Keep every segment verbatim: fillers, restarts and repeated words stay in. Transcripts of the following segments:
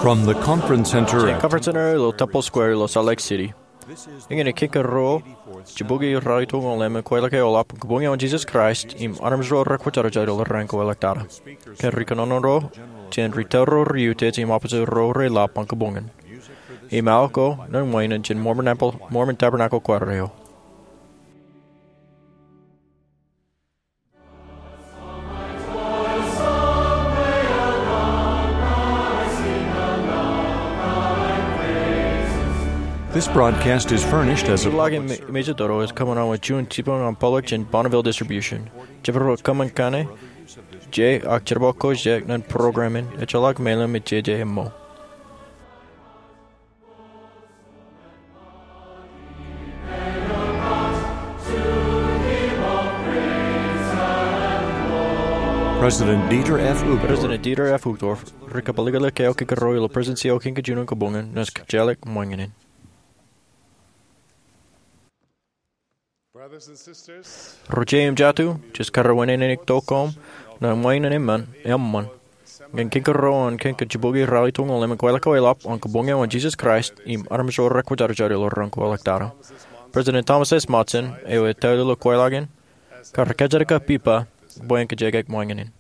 From the conference center Jān at conference center ilo Temple Square ilo Salt Lake City. Iñin ej kiiō ro jibukwi ralitōñoul emān kweilọk eoḷap kōn kōbuñōn Jisōs Kraist im armej ro rekwōjarjar ilo raan ko ḷọk tata. Kōn ri kōnono ro jān ri tōl ro rej utiej im opposite ro reḷap an kōbuñōn. Im aō ko ṇe ṃweiin jān Mormon Temple, Mormon Tabernacle Choir eo. This broadcast is furnished as a Ḷọk in me-, mejatoto ej kōṃṃan wōt juon jipañ an public jān Bonneville Distribution. Jepel ro kōṃṃan kaṇe, je ak jerbal ko je ṇe in program in, ejjeḷọk mejān me jeje eo. President Dieter F. Uchtdorf. President Dieter F. Uchtdorf, ri kabwilōñlōñ eo kiiō ro ilo Presidency eo kein kajin in kōbuñōn, naaj kōjjeḷọk ṃōñā in. Ro jeiū im jatū, ij kar wūnin tok koṃ ṇe ṃweiin eṃṃan, eṃṃan, ñan kiiō ro an kiiō jibukwi ralitōñoul emān kweilọk eoḷap an kōbuñōn Jisōs Kraist im armej ro rekwōjarjar ilo raan ko ḷọk tata. President Thomas S. Monson, eo ettoḷọk kweilọk in, kar kōjatdikdik ippa bwe en kōjjeḷọk ṃōñā in.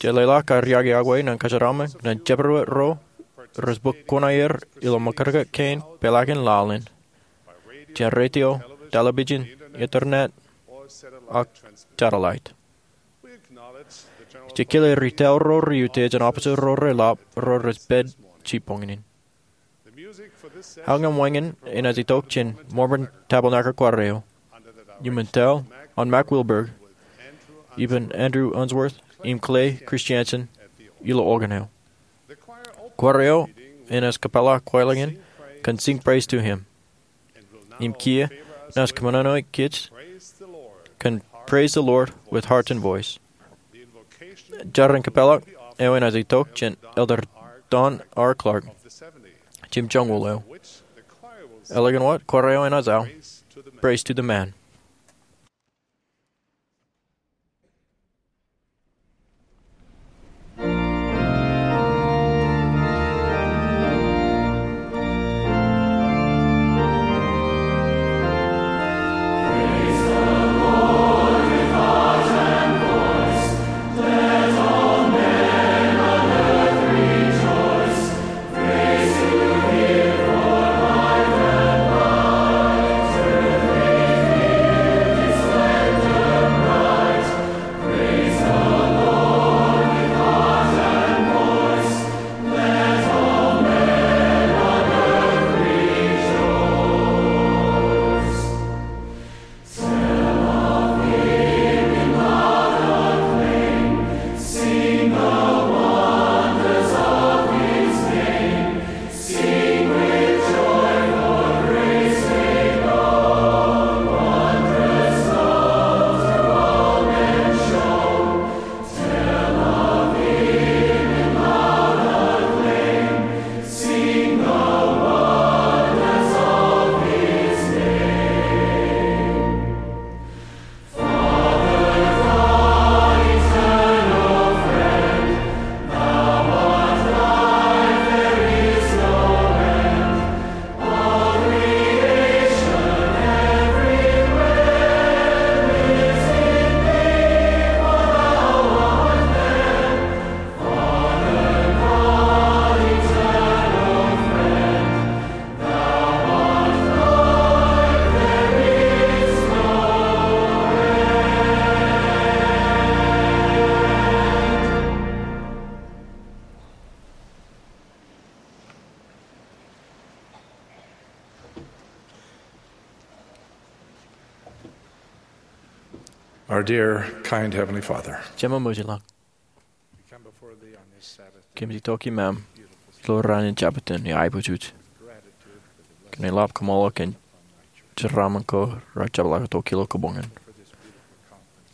Jej leḷọk ad iakiakwe ñan kōjeraaṃṃan ñan jepel ro rej bōk kuṇaer ilo ṃōkaj kein peḷaakin laḷ in, jān radio, television, internet, ak satellite. Jej kile ri tōl ro rej utiej im opposite ro reḷap ro rej pād jibboñōn in. Aō ñan ṃōñā in enaaj itok jān Mormon Tabernacle Choir eo, ippān tōl an Mack Wilberg, ippān Andrew Unsworth im Clay Christiansen ilo organ eo. Choir eo enaaj kōpeḷḷọk kweilọk in kōn Sing Praise to Him. Im kiiō naaj kōṃṃane kōj kōn Praise the Lord with Heart and Voice. Jar in kōpeḷḷọk eo enaaj itok jān Elder Don R. Clark, jimjuon eo. Eḷap an wōt, choir eo enaaj aō Praise to the Man. Our dear, kind Heavenly Father, Jemem eo ej ilọk, we come before Thee on this Sabbath day. Kōmij itok iṃaan ilo raan in Jabōt in aiboojoj. Kōn eḷap kōṃṃool kōn jeraaṃṃan ko rej jepḷaak tok ilo kōbuñōn.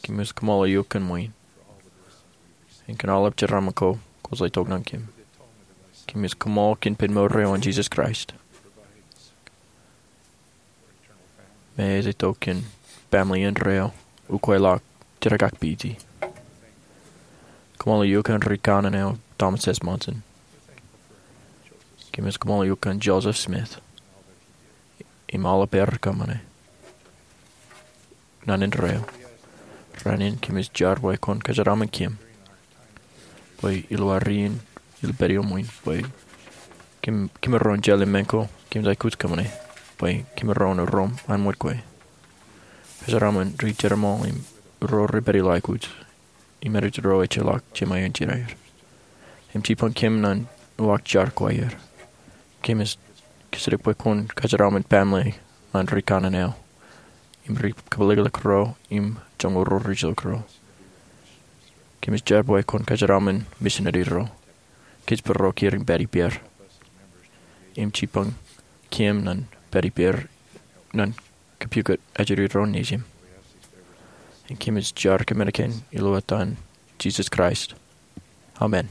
Kōmij kōṃṃool eok kōn ṃwiin. Im kōn aolep jeraaṃṃan ko kwōj itok ñan kōm. Kōmij kōṃṃool kōn ippān mour eo an Jisōs Kraist. Me ej itok kōn family indeeo, ukweḷọk, jerkakpeje. Kōṃṃool eok kōn ri kanaan eo Thomas S. Monson. Kōmij kōṃṃan eok kōn Joseph Smith im aolep aer kōṃṃane naan indeeo. Rainin kōmij jar bwe kwōn kōjeraṃṃan kōm bwe ilo ad ri in, ilo pād iuṃwin, bwe kōm, kōm ro in jeḷā men ko kōmij aikuj kōṃṃane, bwe kōm ro in rom an ṃōj kwe. Kōjeraṃṃan ri jereṃaḷ im ro rej pād ilo aikuj, im rej ro ejjeḷọk Jemān Jinaer. Im jipañ kōm ñan uwaak jar ko aer. Kōmij kōjatdikdik bwe kwōn kōjeraṃṃan baaṃle ñan ri kanaan eo im ri kōpeḷḷọk ro im joñoul ro ri jilkinḷọk ro. Kōmij jar bwe kwōn kōjeraṃṃan misineri ro. Kōjparok er im pād ippāer. Im jipañ kōm ñan pād ippāer ñan kōpukot ajri ro nejim. Im kōmij jar kōmān kōn ilo etan Jisōs Kraist. Amen.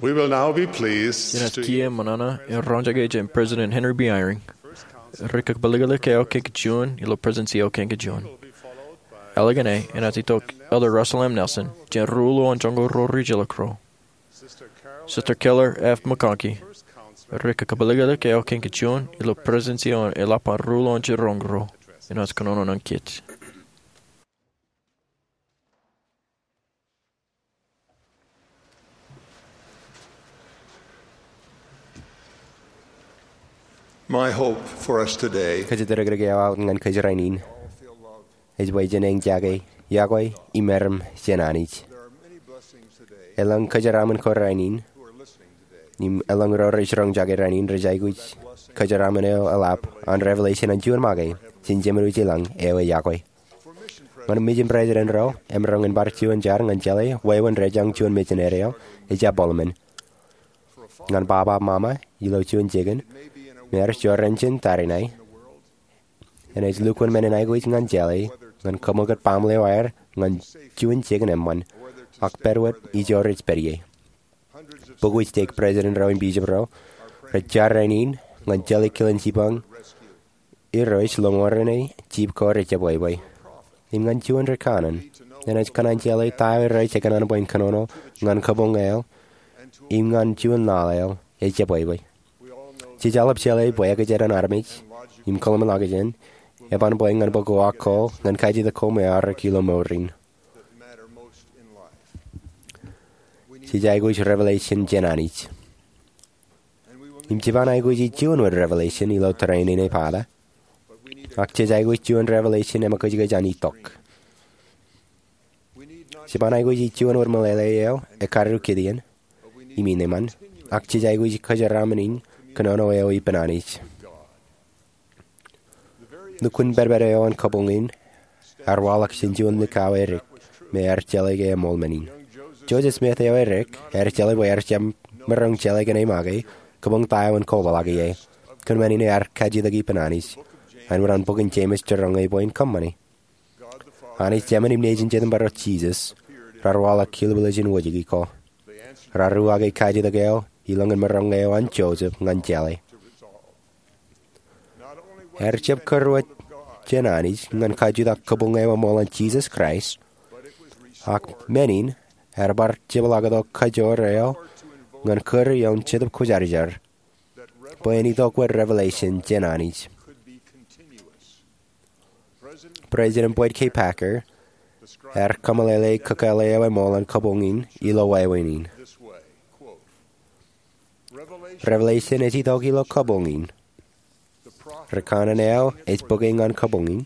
We will now be pleased Jenaaj to kiiō ṃōṇōṇō in roñjake jān President Henry B. Eyring, ri kakōpeliklik eo kein kajuon ilo Presidency eo kein kajuon. Eḷaññe enaaj itok Elder Russell M. Nelson jān ri ruo an joñoul ruo ri ejjeḷọk ro. Sister Keller F. McConkie, ri kakōpeliklik eo kein kajuon ilo Presidency eo an eḷap an ri ruo an jiroñ ro, enaaj kōnono ñan kōj. My hope for us today Kōjatdikdik eo aō ñan kōj rainin ej bwe jen eñjake yokwe im erom jān Anij. Elōñ kōjeraaṃṃan ko rainin im elōñ ro rej roñjake rainin rej aikuj kōjeraaṃṃan eo eḷap an revelation an juon make, jen jeṃḷọk ilañ eo e yokwe. Ñan mijin president ro, emaroñ in bar juon jar ñan jeḷā wāween rejañ juon misineri eo ejjab bōlmān. Ñan baba mama ilo juon jikin, me ear jorrāān jān tariṇae, enaaj lukkuun men in aikuj ñan jeḷā ñan kaṃōkūt baaṃle eo aer ñan juon jikin eṃṃan, ak pād wōt ijo rej pād ie. Bukwōj stake president ro im bishop ro rej jar rainin ñan jeḷā kilen jipañ Irooj ḷọk ñan ro rej jibwe ko rej jebwebwe. Im ñan juon ri kanaan, enaaj kōṇaan jeḷā ta eo Irooj ekōṇaan bwe en kōnono ñan kabuñ eo im ñan juon laḷ eo ejebwebwe. Jej aolep jeḷā bwe ekōjkan armej im kōḷmānḷọkjeṇ eban bwe ñan bōk uwaak ko ñan kajjitōk ko me aorōk ilo mour in. Jej aikuj revelation jān Anij. Im jeban aikuji juon wōt revelation ilo training e pata. Ak jej aikuj juon revelation emakōjkōj an itok. Jeban aikuji juon wōt meḷeḷe eo ekkar Gideon, im ineeṃṃan, ak jej aikuj kōjeraaṃṃan in kōnono eo ippān Anij. Lukkuun pedped eo an kabuñ in ear waḷọk jān juon likao edik me ear jeḷā ke eṃool men in. Joseph Smith eo edik ear jeḷā bwe ear jab maroñ jeḷā kōn e make kabuñ ta eo en kobaḷọk ie. Kōn men in ear kajjitōk ippān Anij. Āinwōt an bokin Jemes jiroñ e bwe en kōṃṃane. Anij Jemān im Nejin Jetōnbaro Jisōs raar waḷọk kilbilej in wōjke ko. Raar uwaake kajjitōk eo ilọñin maroñ eo an Joseph ñan jeḷā. Ear jab kūr wōt jān Anij ñan kajutak kabuñ eo eṃool an Jisōs Kraist, ak men in ear bar jepḷaaktok kajoor eo ñan kūr ioon Jetōb Kwōjarjar bwe en itok wōt revelation jān Anij. President Boyd K. Packer ear kōmeḷeḷe kakōḷḷe eo eṃool an kabuñ in ilo wāween in. Revelation ej itok ilo kabuñ in. Ri kanaan eo ej bōke ñan kabuñ in.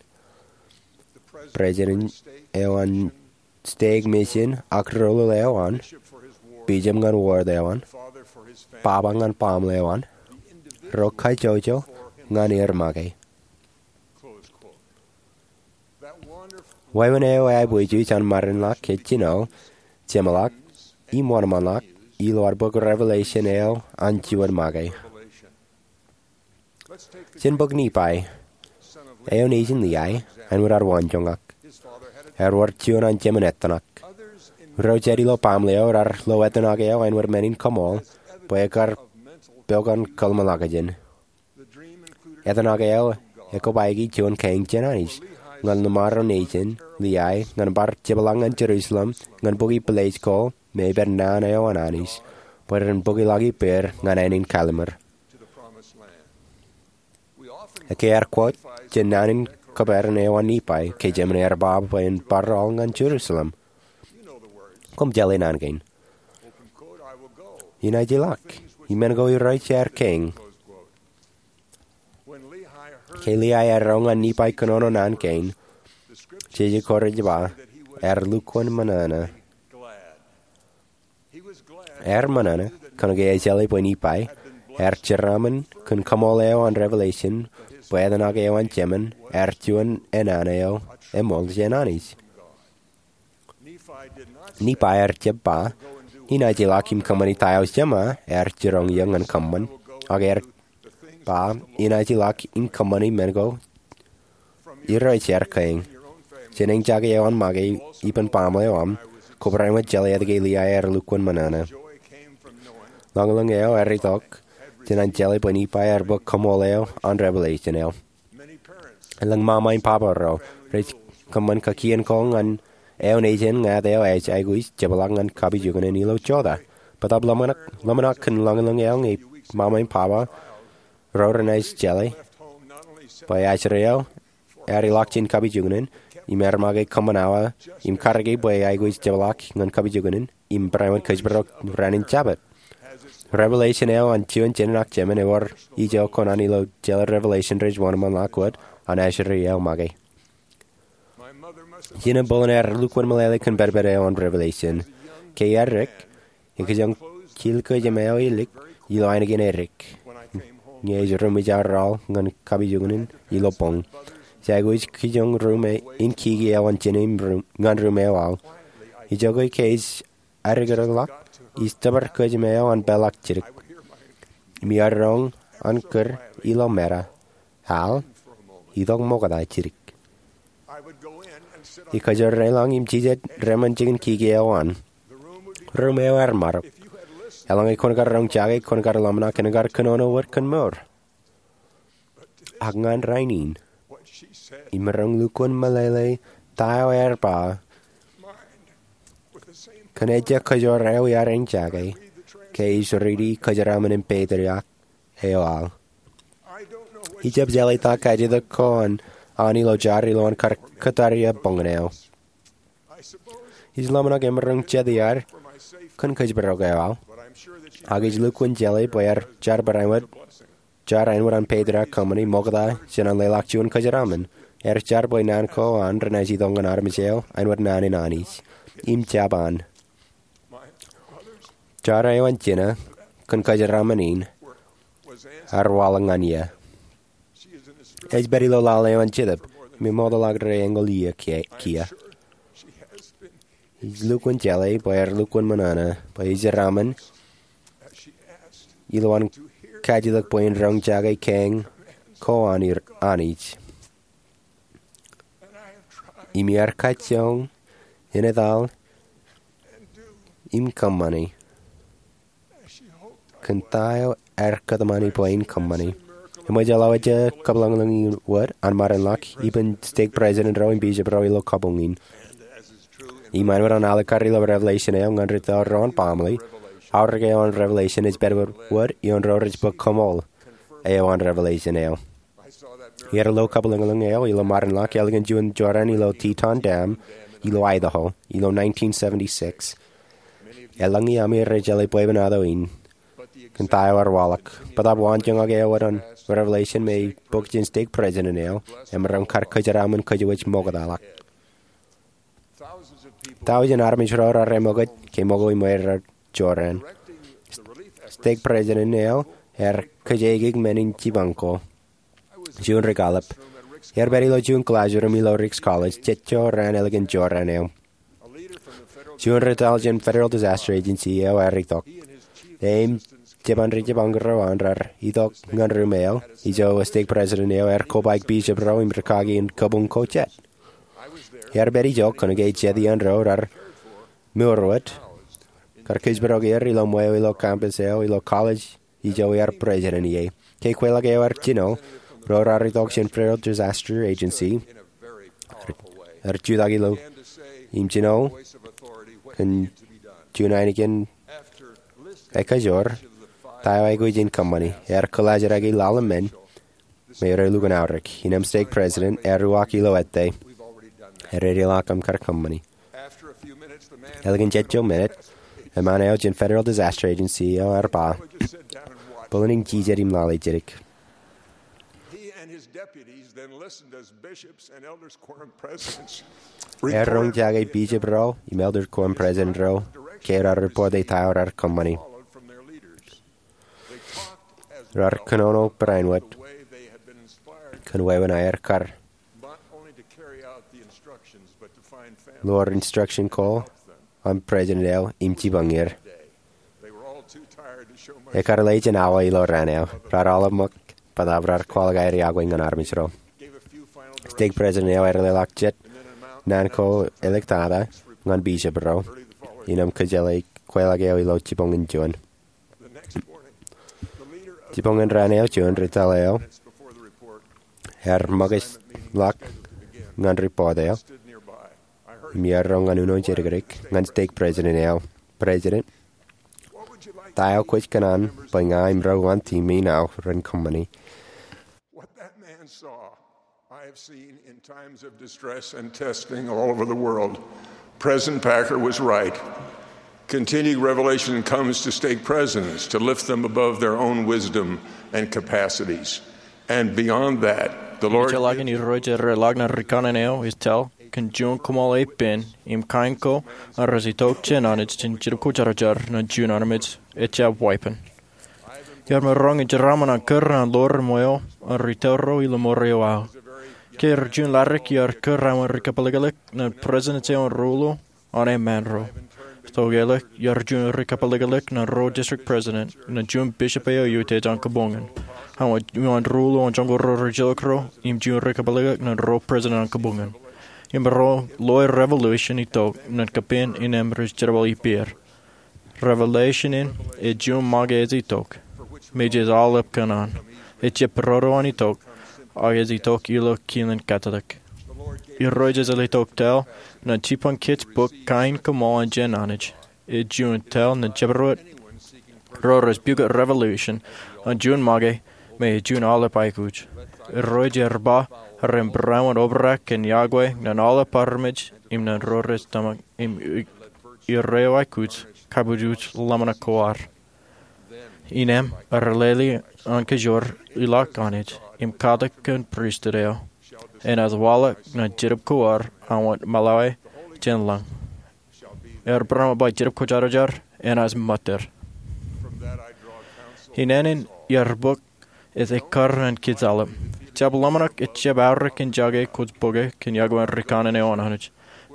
President eo an stake mission ak rūlul eo an, bishop ñan ward eo an, baba ñan baaṃle eo an, ro kajjojo ñan er make. Wāween eo eaikuj aō ṃarinḷọk ej jino jeṃḷọk im wōnṃaanḷọk ilo ad bōk revelation eo an juon make. Jen bōk Nephi, eo nejin Lehi, āinwōt ad waanjoñak. Ear wōr juon an jemān ettōṇak. Ro jet ilo baaṃle eo raar lo ettōṇak eo āinwōt men in kaṃool bwe ekar pok an kōḷmānḷọkjeṇ. Ettōṇak eo ekōbaiki juon kein jān Anij ñan ḷōṃaro nejin Lehi ñan bar jepḷaak ñan Jerusalem ñan bukwi pālle ko me ej pād naan eo an Anij bwe ren bōkḷọk ippāer ñan ānin kallimur. Ekkar ear quote jān naan in kōperan eo an Nephi ke jemān ear ba bwe en bar aolep ñan Jerusalem. Koṃ jeḷā naan kein. Inaaj ilọk im men ko Irooj ear kein. Ke Lehi ear ro ñan Nephi kōnono naan kein, jeje ko rej ba, ear lukkuun ṃōṇōṇō. Ear ṃōṇōṇō kōnke ejeḷā bwe Nephi ear jeraaṃṃan kōn kaṃool eo an revelation bwe ettōṇak eo an jemān ear juon enana eo eṃool jān Anij. Nephi ear jab ba, inaaj ilọk im kōṃṃani ta eo Jeṃa ear jiroñ eō ñan kōṃṃan, ak ear ba, inaaj ilọk im kōṃṃani men ko Irooj ear kein. Jān eñjake eo an make ippān baaṃle eo aṃ, kobrak ṃōk jeḷā etke Lehi ear lukkuun ṃōṇōṇō. Ḷōñḷōñ eo ear itok jān an jeḷā bwe Nifai ear bōk koṃṃool eo an Revelation eo. Elōñ ṃaṃa im baba ro rej kōṃṃan kakien ko ñan eo nejin ñāāt eo ej aikuj jepḷaak ñan kapijuknen ilo jota. Bōtaab ḷōmṇak kōn ḷōñḷōñ eo ñe ṃaṃa im baba ro renaaj jeḷā bwe ajri eo ear ilọk jān kapijuknen im ear make kōṃṃan awa im karōke bwe aikuj jepḷaak ñan kapijuknen im barāinwōt kōjparok raan in Jabōt. Revelation eo an juon jenaaj jemān ewōr ijo ko an ilo jeḷā Revelation rej wōnṃaanḷọk wōt an ajri eo make. Jinō Bolen ear lukkuun meḷeḷe kōn pedped eo an Revelation. Ke ear dik, ekijjeen jilkinjeen eo ālik ilo ainikien edik ñe ej ri mwijauraḷ ñan kapijuknen ilo boñ. Ij aikuj kijjeen ri mwijauraḷ in kiki eo an jinō ñan ri mwijauraḷ. Ijoko ke ij addikdik ḷọk, ij tōpar kōjām eo an peḷḷọk jidik im iar roñ an kūr ilo meta, "Al, itok ṃokta jidik." Ij kōjeraḷọñ im jijet reṃṃan jikin kiki eo an. Ruum eo ear marok. Eḷaññe kwōn kar roñ jake, kwōn kar ḷōmṇak im kar kōnono wōt kōn mour. Ak ñan rainin, imaroñ lukkuun meḷeḷe ta eo ear ba kōn ejja kōjoor eo iaad in jake ke ij riiti kōjeraaṃṃan in Patriarch eo al. Ij jab jeḷā ta kajjitōk ko an ilo jar ilo an kar kōttar ie boñōn eo. Ij ḷōmṇak imaroñ jet iaad kōn kōjparok eo al, ak ij lukkuun jeḷā bwe ear jar barāinwōt, jar āinwōt an Patriarch Company ṃokta jān an leḷọk juon kōjeraaṃṃan. Ear jar bwe naan ko an renaaj itok ñan armej eo āinwōt naan in Anij im jab an. Jar eo an jinō kōn kōjeraaṃṃan in ear waḷọk ñan iiō. Ej pād ilo laḷ eo an Jetōb im eṃootḷọk rej eñoul iiō kiiō. Ij lukkuun jeḷā bwe ear lukkuun ṃōṇōṇō bwe ij jeraaṃṃan ilo an kajjitōk bwe in roñ jake kein ko an Anij. Im iar kajjioñ, eñetal, im kōṃṃani kōn ta eo ear kōtmāni bwe in kōṃṃani. Eṃōj aolep ejja kōpeḷḷọk in wōt an ṃarinḷọk ippān stake president ro im bishop ro ilo kabuñ in. Im āinwōt an alikkar ilo Revelation eo ñan ri tōl ro an baaṃle, aorōk eo an Revelation ej pād wōt ioon ro rej bōk koṃṃool eo an Revelation eo. Iar lo kapeḷḷọk eo ilo ṃarinḷọk ālikin juon jorrāān ilo Teton Dam ilo Idaho ilo nineteen seventy-six. Eḷaññe ami rej jeḷā bwebwenato in kōn ta eo ear waḷọk, bōtaab waanjoñak eo an Revelation me bōk jān stake president eo emaroñ kar kōjeraaṃṃan kōjwōj ṃoktaḷọk. Tọujin armej ro raar eṃōkaj ke ṃōko im eo raar jorrāān. Stake president eo ear kōjeaik men in jipañ ko. Juon ri kallib. Ear pād ilo juon classroom ilo Ricks College jet jorrāān ālikin jorrāān eo. Juon ri tōl jān Federal Disaster Agency eo ear itok. Im jeban ri jipañ ro an raar itok ñan ruum eo ijo stake president eo ear kobaik bishop ro im rikaki in kabuñ ko jet. Ear pād ijo kōnke jet iaan ro raar mour wōt, kar kōjparok er ilo ṃweo ilo campus eo ilo college ijo ear president ie. Ke kweilọk eo ear jino, ro raar itok jān Federal Disaster Agency, ear jutak ilo im jino kōn juon ainikien ekajoor ta eo aikuj in kōṃṃani. Ear kōllaajrak laḷ im men me rej lukkuun aorōk. Innem stake president ear uwaak ilo ettā, ear edeḷọk im kar kōṃṃani. Ālikin jet ijo minit, eṃṃan eo jān Federal Disaster Agency eo ear ba, "Bōlen in jijet im lale jidik." Ear roñ jake bishop ro im elder quorum president ro ke raar report e ta eo raar kōṃṃani. Raar kōnono barāinwōt kōn wāween aer kar lor instruction ko an president eo im jipañ er. Ekar lale jān awa ilo raan eo. Raar aolep ṃōk bōtaab raar kwaḷọk aer iọkwe ñan armej ro. Stake president eo ear leḷọk jet naan ko āliktata ñan bishop ro innem kōjeḷā kweilọk eo ilo jipañ in juon. Jibboñin raan eo juon ri tōl eo ear ṃōkajḷọk ñan ripoot eo im ear roñ ñan uno jidikdik ñan stake president eo. President, ta eo kwōj kōṇaan bwe ña im ro uwaan team eo ren kōṃṃani? What that man saw, I have seen in times of distress and testing all over the world. President Packer was right. Continued revelation comes to stake presidents to lift them above their own wisdom and capacities. And beyond that, the Lord Ejjeḷọkin Irooj rej ḷak ñan rikaṇen eo ej tōl kōn juon koṃṃool epen im kain ko rej itok jān Anij jān Jetōb Kwōjarjar ñan juon armej ejjab weeppān. Iar maroñ in jeraaṃṃan an kūr an ḷoor im weo an ri tōl ro ilo ṃool eo aō. Ke rej juon ḷadik iar kūr aṃ rikapliklik ñan presidents eo an ri ruo an eṃṃaan ro. Tok eo ḷọk iar juon rikapliklik ñan ro district president ñan juon bishop eo eutiej an kōboñōn. Aṃ wōt uwaan ri ruo an joñoul ro rijilōk ro im juon rikapliklik ñan ro president an kōboñōn. Im ro loe revelation itok ñan kapen innem rej jerbal ippāer. Revelation in ej juon make ej itok, mejān aolep kōṇaan. Ejjab būrodo an itok, ak ej itok ilo kilen Katlik. Irooj ej letok tōl ñan jibboñ kōj bōk kain koṃṃool an jān Anij. Ej juon tōl ñan jabdewōt ro rej pukot revelation an juon make me ej juon aolep aikuj. Irooj ear ba ren būrāinwōt obrak kōn yokwe ñan aolep armej im ñan ro rej tōmak im i- ire eo aikuj kabujuj ḷōmṇak ko ad. Innem rej lale an kajoor ḷọk Anij im katak kōn pristut eo. Enaaj waḷọk ñan jetōb ko ad aṃ wōt ṃōḷae jān lañ. Ear būrāinwōt ba Jetōb Kwōjarjar enaaj ṃōtter. Ineen in iar bōk ej ekkar ñan kōj aolep. Jab ḷōmṇak ejjab aorōk in jake kwōj bōke kōn yokwe in rikaṇen eo an Anij.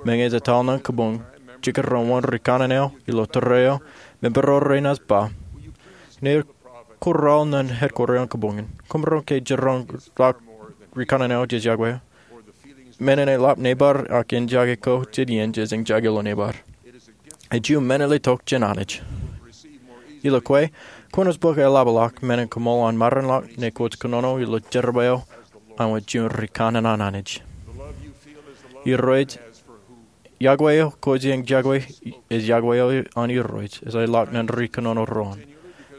Meñe ej etal ñan kōboñ, jikin ro wōn rikaṇen eo ilo tōre eo, member ro renaaj ba, ñe kwō raar ñan headquarter eo an kōboñ in, kwōmaroñ ke jiroñ ḷọk rikaṇen eo jej yokwe eo. Men in eḷap nebar ak in jake ko jān iien jej jake ilo nebar. Ej juon men ej letok jān Anij. Ilo kwe, kwōnaaj bōk eḷapḷọk men in koṃṃool an maroñ ḷọk ñe kwōj kōnono ilo jerbal eo an wōt juon rikaṇe an Anij. Irooj, yokwe eo kwōj jake ej yokwe eo an Irooj ej leḷọk ñan ri kōnono doon.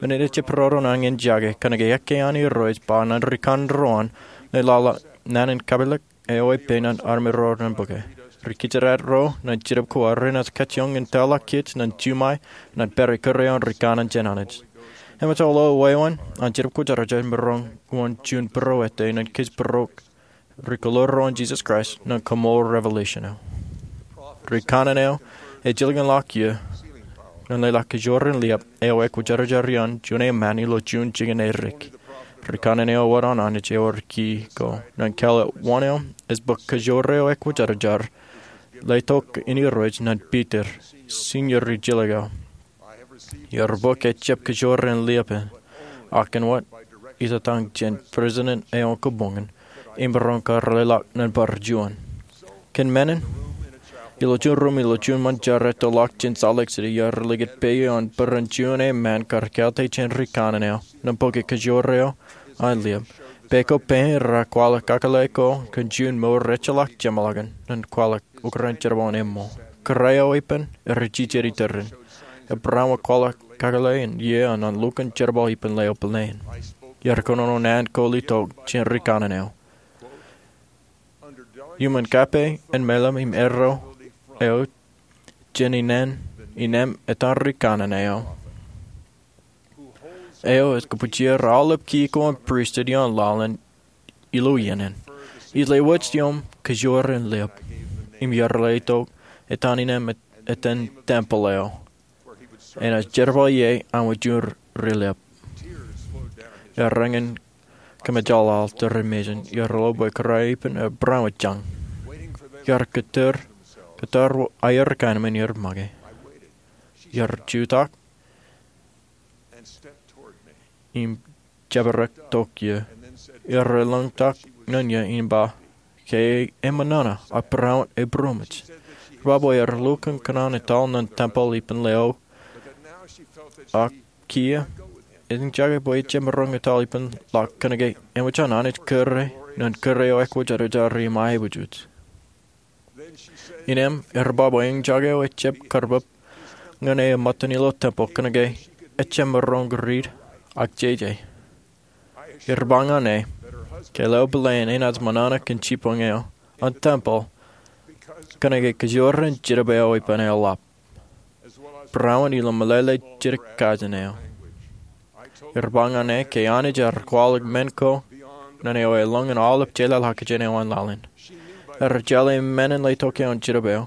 Men in ejjab būrodo nañin jake kōnke ekkā an Irooj ba ñan rikaṇe doon ñe laḷ naan in kapilōk eo epen an armej ro ren bōke. Ri-kijjien ro ñan jetōb ko ad renaaj kajjioñ in tōl ḷọk kōj ñan jiṃwe ñan pād ikōrā eo an rikaṇe jān Anij. Eṃōj ilo wāween an Jetōb Kwōjarjar maroñ wōn juon būruō ete ñan kōj būruō ri-kōḷoor ro an Jesus Christ ñan koṃṃool revelation eo. Rikaṇe eo ej jilkinḷọk iiō ñan leḷọk kajoor in liab eo ekwōjarjar iaan juon eṃṃaan ilo juon jikin edik. Rikaṇe eo wōt an Anij ewōr key ko ñan kāālōt wōn eo ej bōk kajoor eo ekwōjarjar letok in Irooj ñan Piter, senior rijilōk eo. Iar bōk ejjab kajoor in liab in, ak āinwōt itōtaṃ jān president eo an kōboñ in, im maroñ kar leḷọk ñan bar juon. Kōn men in, ilo juon ruum ilo juon ṃōn jar ettoḷọk jān Salt Lake City, iar likūt peiū an bōran juon eṃṃaan kar kāālte jān rikaṇe eo ñan bōke kajoor eo an liab. Peiū ko peiū in raar kwaḷọk kakōḷḷe ko kōn juon mour ejjeḷọk jeṃḷọkin ñan kwaḷọk okran jerbal in eṃṃool. Kōrā eo epen rej jijet iturin. Ej barāinwōt kwaḷọk kakōḷḷe in iiō an lukkuun jerbal ippān ḷeo plane. Iar kōnono naan ko letok jān rikaṇe eo. Iuṃwin kape in meḷeḷe im erro eo jān innem, innem etan rikaṇe eo, eo ej kōbwijer aolep key ko an pristut ioon laḷ in ilo iien in. Ij lewōj iiō im kajoor in liab, im iar letok etan innem et-, etan tempeḷ eo. Enaaj jerbal ie an wōt juon ri liab. Iar eñin kōmejāḷāḷ tōre mejān, iar lo bwe kōrā eo epen ej barāinwōt jañ. Iar kōttar, kōttar aer kaenōṃṃan iar make. Iar jutak im jabdewōt tok iiō. Iar lōñtak ñan iiō im ba, ke eṃōṇōṇō, ak barāinwōt ebūroṃōj. Ej ba bwe ear lukkuun kōṇaan etal ñan tempeḷ ippān ḷeo, ak kiiō Eñjake bwe ejjab maroñ etal ippān ḷọk kōnke eṃōj an Anij kōrā ñan kōrā eo ekwōjarjar im aebujbūj. Innām ear ba bwe eñjake eo ejjab karbōb ñan e ṃōttan ilo tempeḷ kōnke ejjab maroñ riit ak jeje. Ear ba ñan e ke leo pāleen enaaj ṃōṇōṇō kōn jibboñ eo an tempeḷ kōnke kōjwōr in jidik eo ippān eḷap, barāinwōt ilo meḷeḷe jidik kajin eo. Ear ba ñan e ke Anij ear kwaḷọk men ko ñan eo elōñ in aolep jeḷāḷọkjeṇ eo an laḷ in. Ear jeḷā men in letok eo an jidik eo,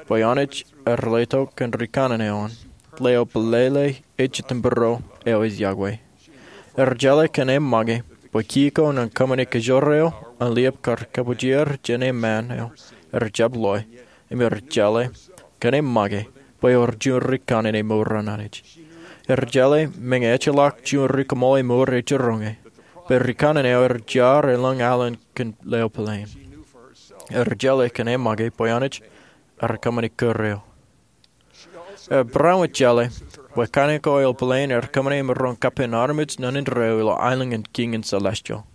bwe Anij ear letok kōn rikanaan eo an leo pālele ej jitōnbōro eo ej yokwe. Ear jeḷā kōn e make bwe kiiō ko ñan kōṃṃane kōjwōr eo an liab kar kōbōjrak jān e ṃaan eo ear jab loe, im ear jeḷā kōn e make bwe ewōr juon rikanaan emour an Anij. Ear jeḷā meñe ejjeḷọk juon ri kaṃool emour ej jiroñe, bwe rikanaan eo ear jar elōñ alen kōn leo pāleen. Ear jeḷā kōn e make bwe Anij ear kōṃṃane kōrā eo. Ear barāinwōt jeḷā bwe kain ko eo pāleen ear kōṃṃane emaroñ kappān armej ñan indeeo ilo aelōñ in kiiñ in celestial.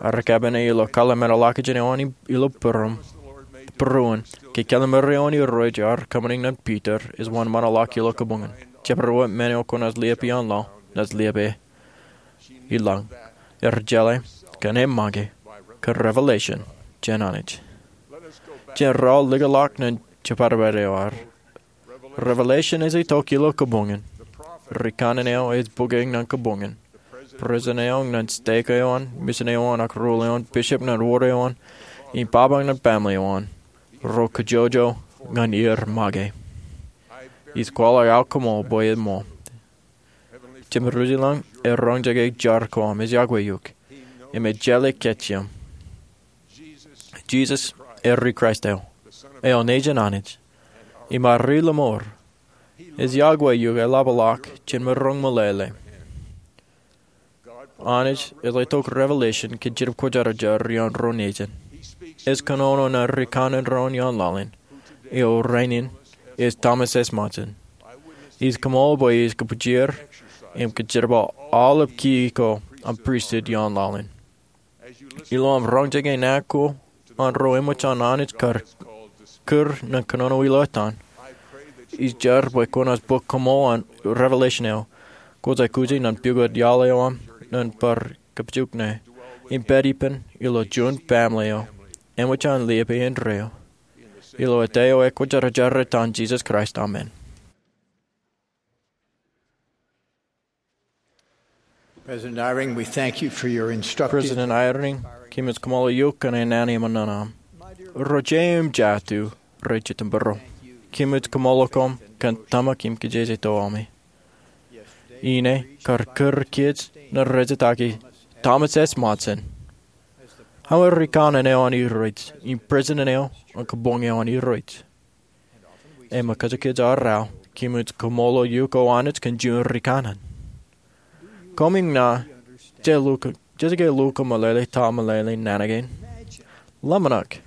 Ear kappāne ilo kōḷmānḷọkjeṇ eo an ilo būruon ke kōḷmānḷọkjeṇ eo an Irooj ear kōṃṃane ñan Piter ej wōnṃaanḷọk ilo kabuñ in. Jabdewōt men eo kwōnaaj liab ioon laḷ, naaj liab e ilañ. Ear jeḷā kōn e make kōn revelation jān Anij. Jen raoḷ likūt ḷọk ñan jibadbad eo ad. Revelation ej itok ilo kabuñ in. Rikanaan eo ej bōke ñan kabuñ in. President eo ñan stek eo an, mission eo an, ak ruo eo an, bishop ñan wōd eo an, im baba ñan bamle eo an, ro kōjojō ñan er make. Ij kwaḷọk aō kaṃool bwe eṃṃool. Jemem ri-ilañ, ear roñjake jar ko aṃ, ej yokwe eok, im ej jeḷā kōj im. Jisōs eo ri Kraist eo, eo Nejin Anij, im ad ri-lọmọọr. Ej yokwe eok eḷapḷọk jān maroñ meḷeḷe. Anij ej letok revelation kōn Jetōb Kwōjarjar ioon ro nejin. Ej kōnono ñan rikanaan ro ioon laḷ in, eo rainin ej Thomas S. Monson. Ij kaṃool bwe ij kōbōjrak im kōjerbal aolep kiiō ko an pristut ioon laḷ in. Ilo aṃ roñjake naan ko an ro eṃōj an Anij kar kūr ñan kōnono ilo etan, ij jar bwe kwōnaaj bōk kaṃool an revelation eo kwōj aikuji ñan pukot iaḷ eo aṃ ñan bar kōpojak ṇe, im pād ippān ilo juon bamle eo eṃōj an liab e indeeo. Ilo etaer eo ekwōjarjar etan Jisōs Kraist, amen. President Eyring, we thank you for your instructive President Eyring, kōmij kaṃṃoolol eok kōn e naan eṃṃan ñan aṃ. Ro jeiū im jatū rej jitōnbōro, kōmij kaṃṃoolol koṃ kōn tōmak im kajjitōk eo aṃ. Ine kar kūr kōj ñan rejatake Thomas S. Monson aō rikanaan eo an Irooj im president eo an kabuñ eo an Irooj. Im ṃōkaj kōj arro, kōmij kaṃṃoolol eok O Anij kōn juon rikanaan. Koṃ iññā, jej lukkuun, jej ke lukkuun meḷeḷe ta meḷeḷe naan kein? Ḷōmṇak,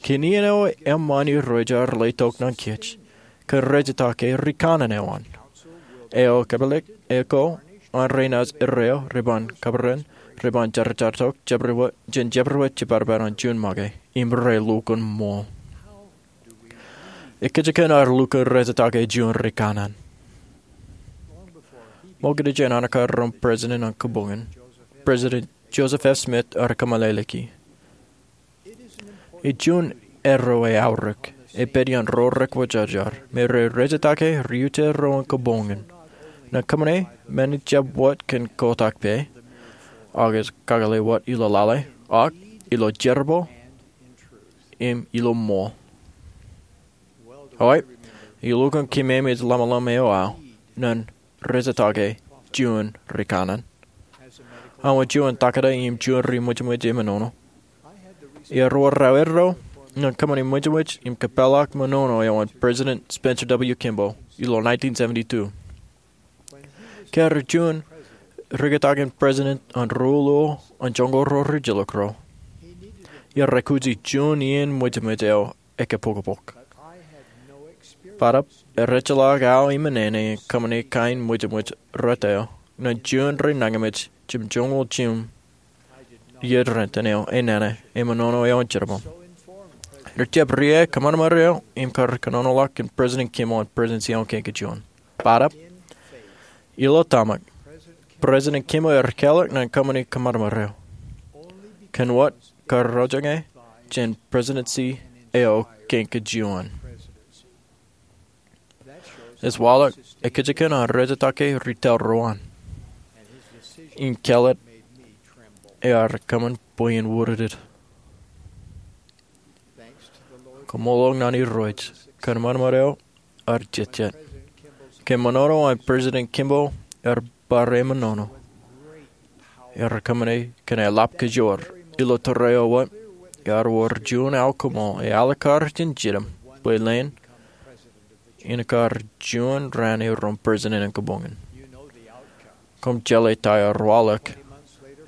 kōn iien eo eṃṃan Irooj ear letok ñan kōj kōn rejatake rikanaan eo an. Eo kōpeḷḷọk eo ko an renaaj erreo, reban kabōran, reban jerajartok, jabdewōt, jān jabdewōt jibadbad an juon make, im relukkuun ṃool. Ekōjkan ear lukkuun rejatake juon rikanaan? Ṃokta jān an ekkar ro president an kabuñ in, President Joseph F. Smith ear kōmeḷeḷeiki, ej juon erreo eaorōk epād iaan ro rekwōjarjar me rej rejatake ri-utier ro an kabuñ in, ñan kōṃṃane men ejjab wōt kōn kotak pā, ak ej kakōḷḷe wōt ilo lale, ak ilo jerbal, im ilo ṃool. Eo, ij lukkuun kōmij ḷōmṇak eo aō ñan rejatake juon rikanaan. Aō juon taktō im juon ri ṃwijṃwij eṃōṇōṇō. Iar wōr aō erreo ñan kōṃṃane ṃwijṃwij im kōpeḷḷọk ṃōṇōṇō eo an President Spencer W. Kimball ilo nineteen seventy-two. Ke ear juon rikatakin president an ruo luo an joñoul ruo ri jilkinro, ear aikuji juon iien ṃwijṃwij eo ekapokpok. Bōtaab, ejjeḷọk aō eṃṃan ñan kōṃṃane kain ṃwijṃwij rot eo ñan juon ri nañinmej jimjuonñoul jimjuon iien rentin eo enana im ṃōṇōṇō eo in jerbal. Rej jab riae kōṃanṃan eo im kar kōnonoḷọk kōn President Kimball an Presidency eo kein kajuon. Bōtab, ilo tōmak, President Kimball ear kālọk ñan kōṃṃani kōṃanṃan eo kōn wōt kar roñjake jān Presidency eo kein kajuon. Ej waḷọk ekajjien an rejatake retail ro an. Im kālet ear kōṃṃan bwe in wūrūtūt. Koṃṃool ñan Irooj, kōṃanṃan eo ear jejjet. Kōn ṃōṇōṇō an President Kimball ear bar ṃōṇōṇō. Ear kōṃṃane kōn eḷap kajoor. Ilo tōre eo wōt, ear wōr juon aō koṃṃool, eḷap kar jejjet im bwe leen in kar juon raan erom President in kabuñ in. Koṃ jeḷā ta ear waḷọk.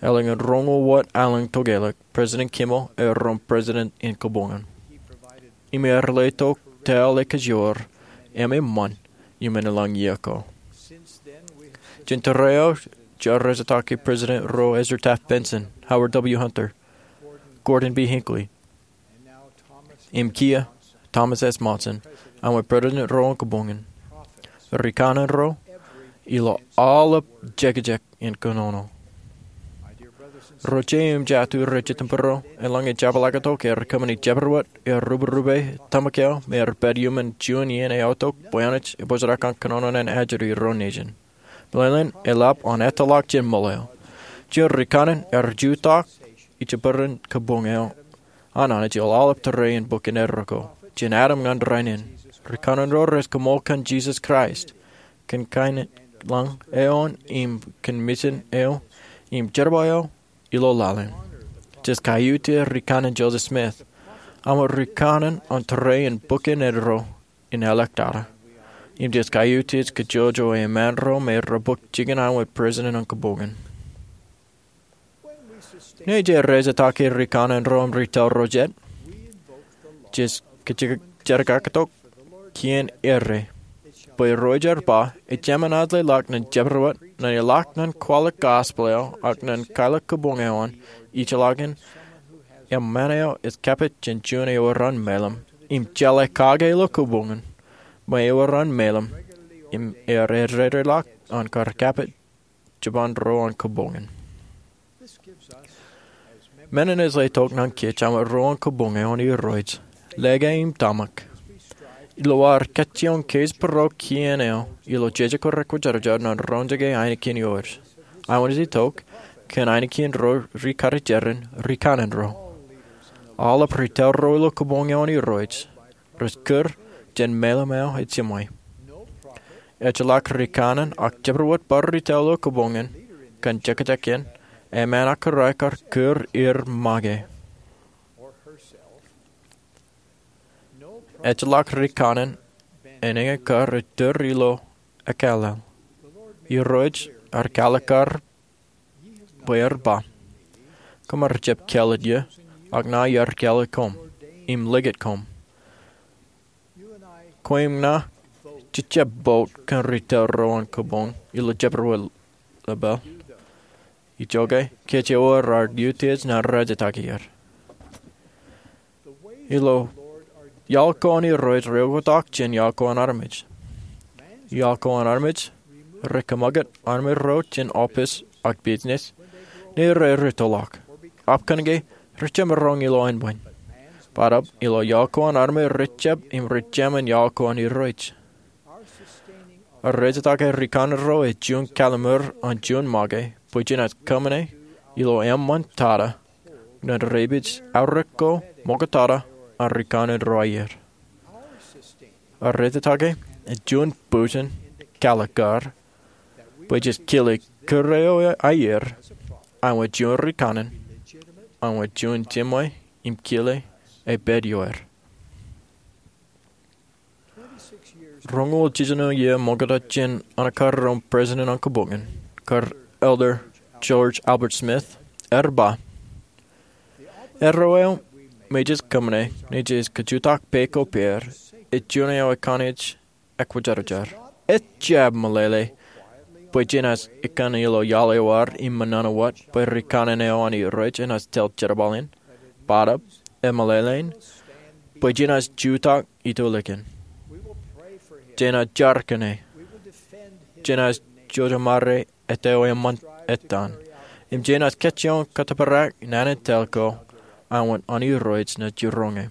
Elōñ in roñoul wōt elōñ tokālik, President Kimball erom President in kabuñ in. Im ear letok tōl ekajoor, im eṃṃan, im eñin lōñ iiō ko. Jān tōre eo, jaar rejatake President ro Ezra Taft Benson, Howard W. Hunter, Gordon B. Hinckley, im kiiō Thomas S. Monson, aṃ President ro an kabuñ in. Ri kanaan ro, ilo aolep jekjek in kōnono. Ro jeiū im jatū rej jitōnbōro, eḷaññe jepḷaaktok ear kōṃṃani jabdewōt, ear ruberube tōmak eo, im ear pād iuṃwin juon iien eaortok bwe Anij epojak an kōnono ñan ajri ro nejin. Bōlen eḷap an ettoḷọk jān ṃool eo. Juon ri kanaan ear jutak ijbōn kabuñ eo an Anij ilo aolep tōre in bok in eddo ko. Jān Adam ñan rainin, ri kanaan ro rej koṃṃool kōn Jisōs Kraist, kōn kain lañ eo im kōn mission eo im jerbal eo ilo laḷ in. Jej kaiutiej ri kanaan Joseph Smith, aṃ ri kanaan an tōre in bok in eddo in āliktata. Im jej kaiutiej kajjojo eṃṃan ro me rej bōk jikin aṃ President an kabuñ in. Ñe jej rejatake ri kanaan ro im retail ro jet, jej kajjirkaktok kien errā. Bwe ro ej bar ba, ejāmin ajleḷọk ñan jabdewōt, ñan ilọk ñan kwaḷọk gospel eo, ak ñan kwaḷọk kabuñ eo an, ijellọkin eṃṃan eo ej kapit jān juon eo eran mālim, im jeḷā kake ilo kabuñ in, me eran mālim, im ear eddekḷọk an kar kapit jipañ ro an kabuñ in. Men in ej letok ñan kōj aṃ ro an kabuñ eo an Irooj, lōke im tōmak, ilo ad kajjioñ keij bōro kien eo ilo jeje ko rekwōjarjar ñan roñjake ainikien ioer. Aṃ naaj itok kōn ainikien ro ri karijeran ri kanaan ro. Aolep retail ro ilo kabuñ eo an Irooj rej kūr jān mālim eo ej jiṃwe. Ejjeḷọk ri kanaan ak jabdewōt bar retail ilo kabuñ in kōn jekjek in, eṃṃan ak kōrā kar kūr er make. Ejjeḷọk ri kanaan en eñin kar ettōr ilo ekkālel. Irooj ear kwaḷọk kar bwe ear ba, koṃ ar jab kāālōt ie, ak ña iar kāālōt koṃ, im likūt koṃ. Kwe im ña, jej jab bout kōn retail ro an kabuñ ilo jabdewōt lepel. Ijoke, kōj ewōr aō utiej ñan rejatake er. Ilo iaḷ ko an Irooj rej oktak jān iaḷ ko an armej. Iaḷ ko an armej rej kōṃakūt armej ro jān office ak business ñe rej rūttoḷọk. Ak kōnke rej jab maroñ ilo ānbwin. Bōtab ilo iaḷ ko an armej rej jab im rej jāmin iaḷ ko an Irooj. Rejatake ri kanaan ro ej juon kallimur an juon make bwe jenaaj kōṃṃane ilo eṃṃan tata ñan rej pād aorōk ko ṃoktata an ri kanaan ro aier. Rejatake ej juon bujen kwaḷọk kar bwe jej kile kūr eo aier, aṃ juon ri kanaan, aṃ juon jiṃwe im kile epād ioer. Roñoul jiljino iiō ṃokta jān an kar ro President an kabuñ in, kar Elder George Albert Smith ear ba, erreo eo me jej kōṃṃane ñe jej kajutak pā ko pād ej juon eo ekanooj ekwōjarjar. Ejjab meḷeḷe bwe jenaaj ikkan ilo iaḷ eo ad im ṃōṇōṇō wōt bwe rikanaan eo an Irooj enaaj tōl jerbal in, bōtōb, im meḷeḷein, bwe jenaaj jutak itulikin. Jenaaj jar kōn e. Jenaaj jojemare etawe eṃṃan ettan. Im jenaaj kajjioñ kōttōprak naan in tōl ko an wōt an Irooj naaj jiroñ e.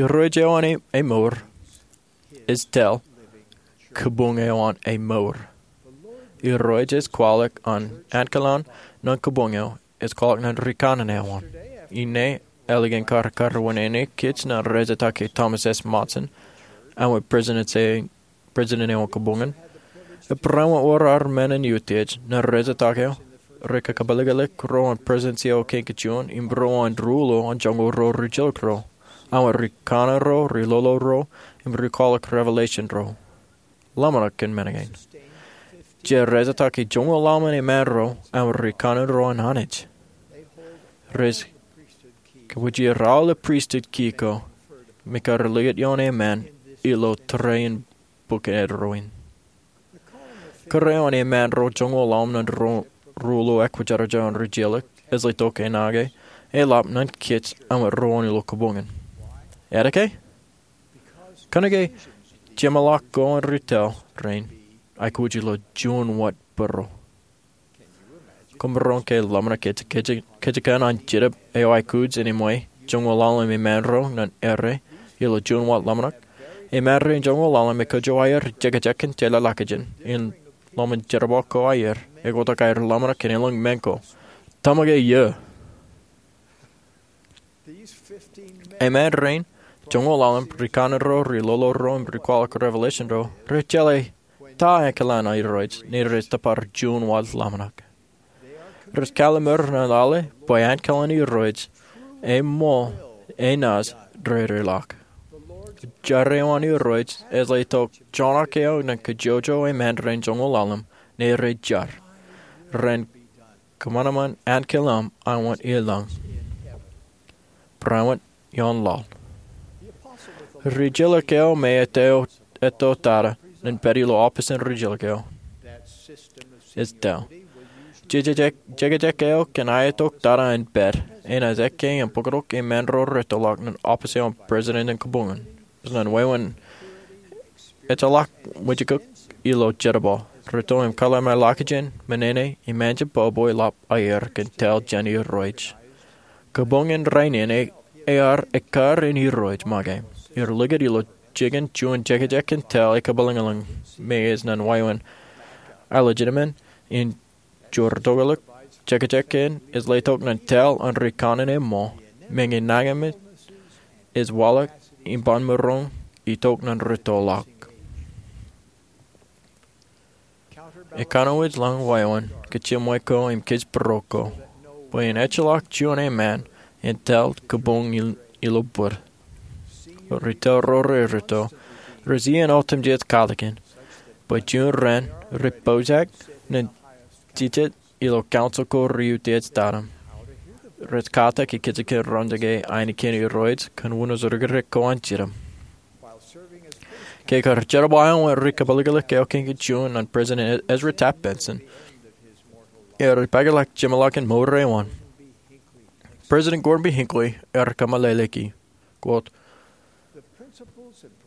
Irooj eo an e, emour, ej tōl kōbuñ eo an emour. Irooj ej kwaḷọk an ankilaan ñan kōbuñ eo, ej kwaḷọk ñan rikanaan eo an. Inne, ālikin kar kōrreoṇe kōj ñan rejetakin Thomas S. Monson an wōt president eo an kōbuñ in, ej barāinwōt wōr ar men in utiej ñan rejetakin eo, rikakapelōklōk ro an Presidentsi eo Kein Kōj Juon, im ro an ruo ilo joñoul ro rijilōk ro, an wōt rikanaan ro, riloḷoḷ ro, im rikwaḷọk revelation ro. Ḷōmṇak kōn men kein. Jej rejetaki joñoul ḷalem in eṃṃan ro an wōt rikanaan ro an Anij. Rej kōpooj aolep pristut ki ko me kar likūt ioon eṃṃan ilo tōre in bok eddo in. Kōrā eo an eṃṃan ro joñoul ḷalem ñan ruo ilo ekwōjarjar eo an rijilōk ej letok enake eḷap ñan kōj an wōt ro an ilo kōbuñ in. Etke? Kōnke jeṃḷọk ko an ri tōl rein aikuj ilo juon wōt būruō. Koṃ maroñ ke ḷōmṇak kōj kōjkan an Jetōb eo aikuj in eṃṃan joñoul ḷalem in eṃṃan ro ñan errā ilo juon wōt ḷōmṇak? Eṃṃan rein joñoul ḷalem ekōjro aer jekjek kōn jeḷāḷọkjeṇ in ḷōmṇak jerbal ko aer, ekwotak aer ḷōmṇak kōn elōñ men ko. Tōmak e iiō. Eṃṃan rein joñoul ḷalem, rikanaan ro, riloḷoḷ ro, im rikwaḷọk revelation ro, rej jeḷā ta ankilaan an Irooj, ñe rej tōpar juon wōt ḷōmṇak. Rej kalimur ñan lale bwe ankilaan Irooj eṃṃool enaaj reireḷọk. Jar eo an Irooj ej letok joñak eo ñan kajjojo eṃṃan rein joñoul ḷalem ñe rej jar, ren kōṃanṃan ankilaan an wōt ilōñ, barāinwōt ioon laḷ. Rijilōk eo me etto tata ñan pād ilo office in rijilōk eo ej tōl. Jekjek eo kōn aetok tata in pād enaaj ekkā im bōktok eṃṃan ro rettoḷọk ñan office eo an president in kōbuñ in. Ñan wāween ejjeḷọk wōjkōk ilo jerbal, retto im kōḷmānḷọkjeṇ, men in, im anjin bwebwe ḷap aer kōn tōl jān Irooj. Kōbuñ in rainin ear ekkar in Irooj make. Ear likūt ilo jikin juon jekjek kōn tōl ekabwilōñlōñ me ej ñan wāween āliktata in jor tokālik. Jekjek kein ej letok ñan tōl an rikanaan eṃṃool, meñe nañinmej ej waḷọk im ban maroñ itok ñan rettoḷọk. Ekanooj ḷọk wāween kōj jiṃwe ko im kōj būruō ko, bwe en ejjeḷọk juon eṃṃan en tōl kōbuñ in ilo bōd. Ri tōl ro reretto rej iien otemjej katakin bwe juon raan rej pojak ñan jijet ilo council ko rej utiej tata im rej katak kajjitōk in roñjake ainikien Irooj kōn wūnin rikirek ko an Jetōb. Ke kar jerbal an wōt ri kapeliklik eo Kein Kōj Juon ñan President Ezra Taft Benson, ear ipākḷọk jeṃḷọkin mour eo an. President Gordon B. Hinckley ear kōmeḷeḷeiki, quote,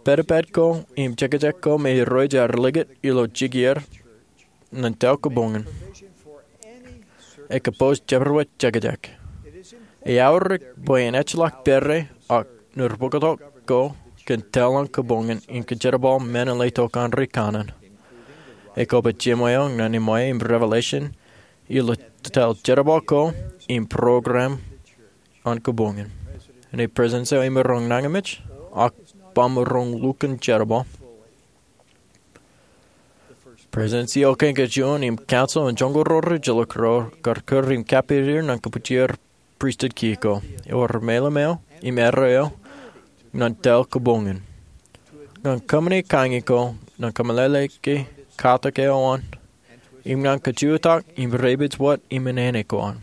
"Pedped ko im jekjek ko me Irooj ear likūt ilo jikier ñan tōl kōbuñ in ekōpooz jabdewōt jekjek. Eaorōk bwe en ejjeḷọk pere ak ñūr bōktok ko kōn tōl an kōbuñ in im kōjerbal men in letok an rikanaan. Ekwe bwe jiṃwe eo ñan eṃṃan im revelation ilo tōl jerbal ko im program an kōbuñ in." Ñe President eo emaroñ nañinmej ak ba maroñ lukkuun jerbal, President eo Kein Kōj Juon im council in joñoul ro rijjilōk ro kar kūr im kappedier ñan kōpoojar pristut kiiō ko, ewōr meḷeḷe eo im errā eo ñan tōl kōbuñ in. Ñan kōṃṃani kañin ko ñan kōmeḷeḷeiki katak eo an im ñan kajutak im repeej wōt im enana ko an.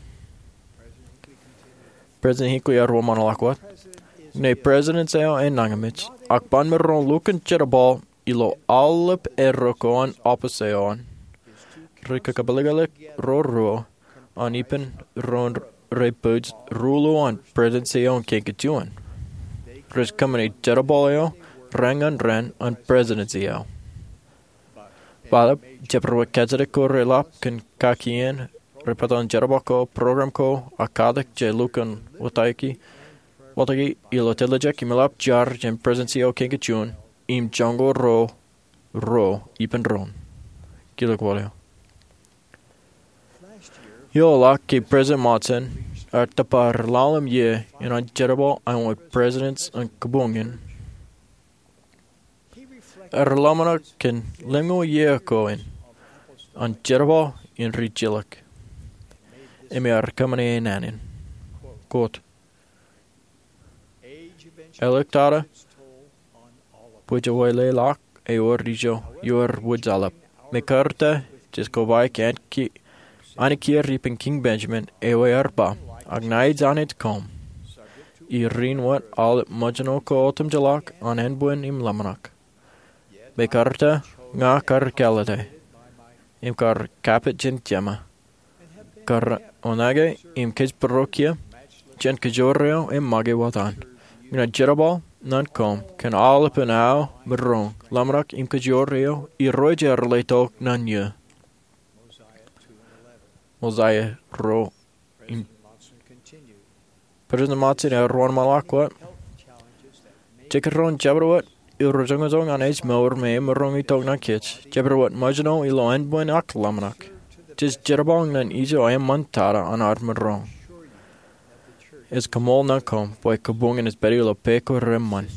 President Hinckley ear wōnṃaanḷọk wōt, "Ñe President eo enañinmej ak ban maroñ lukkuun jerbal ilo aolep erro ko an oppis eo an. Ri kakapelōklōk ro ruo an ippān doon rej pād ruo ilo an Presidensi eo an Kein Kein Juon. Rej kōṃṃani jerbal eo raan ñan raan an Presidensi eo. Bōtab, jabdewōt kajjitōk ko relap kōn kakien rej pād an jerbal ko, program ko, ak katak je lukkuun watōki, watōki ilo tiljek im eḷap jar jān Presidensi eo an Kein Kein Juon, im joñoul ruo, ruo ippān doon. Kilōk wōt eo. Ioḷọk ke President Monson ear tōpar ḷalem iiō in an jerbal eo an Presidents an Kabuñ in, ear ḷōmṇak kōn lemñoul iiō ko in an jerbal in rijilōk. Im ear kōṃṃane naan in, quote, Āliktata bwe jewōtlelọk ewōr ijo ewōr wūjālep. Mekarta, jej kobaik ankiier ippān Kiiñ Benjamin eo ear ba, ak ṇa ij Anij koṃ, ij ri wōt aolep ṃōjṇo ko otemjeḷọk an ānbwin im ḷōmṇak. Mekarta, ña kar kāālōte im kar kapit jān Jema, kar oṇāān im kōjparok kiiō jān kajoor eo im make wōt an. Ña ij jerbal ñan koṃ kōn aolepān aō maroñ, ḷōmṇak im kajoor eo Irooj ear letok ñan eō. Mosiah ruo. President Monson ear wōnṃaanḷọk wōt, jekdọọn jabdewōt iroñjōñoul an ej mour me emaroñ itok ñan kōj, jabdewōt ṃōjṇo ilo ānbwin ak ḷōmṇak, jej jerbal ñan ijo eṃṃan tata an ad maroñ. Ij koṃṃool ñan koṃ bwe kabuñ in ej pād ilo pā ko reṃṃan.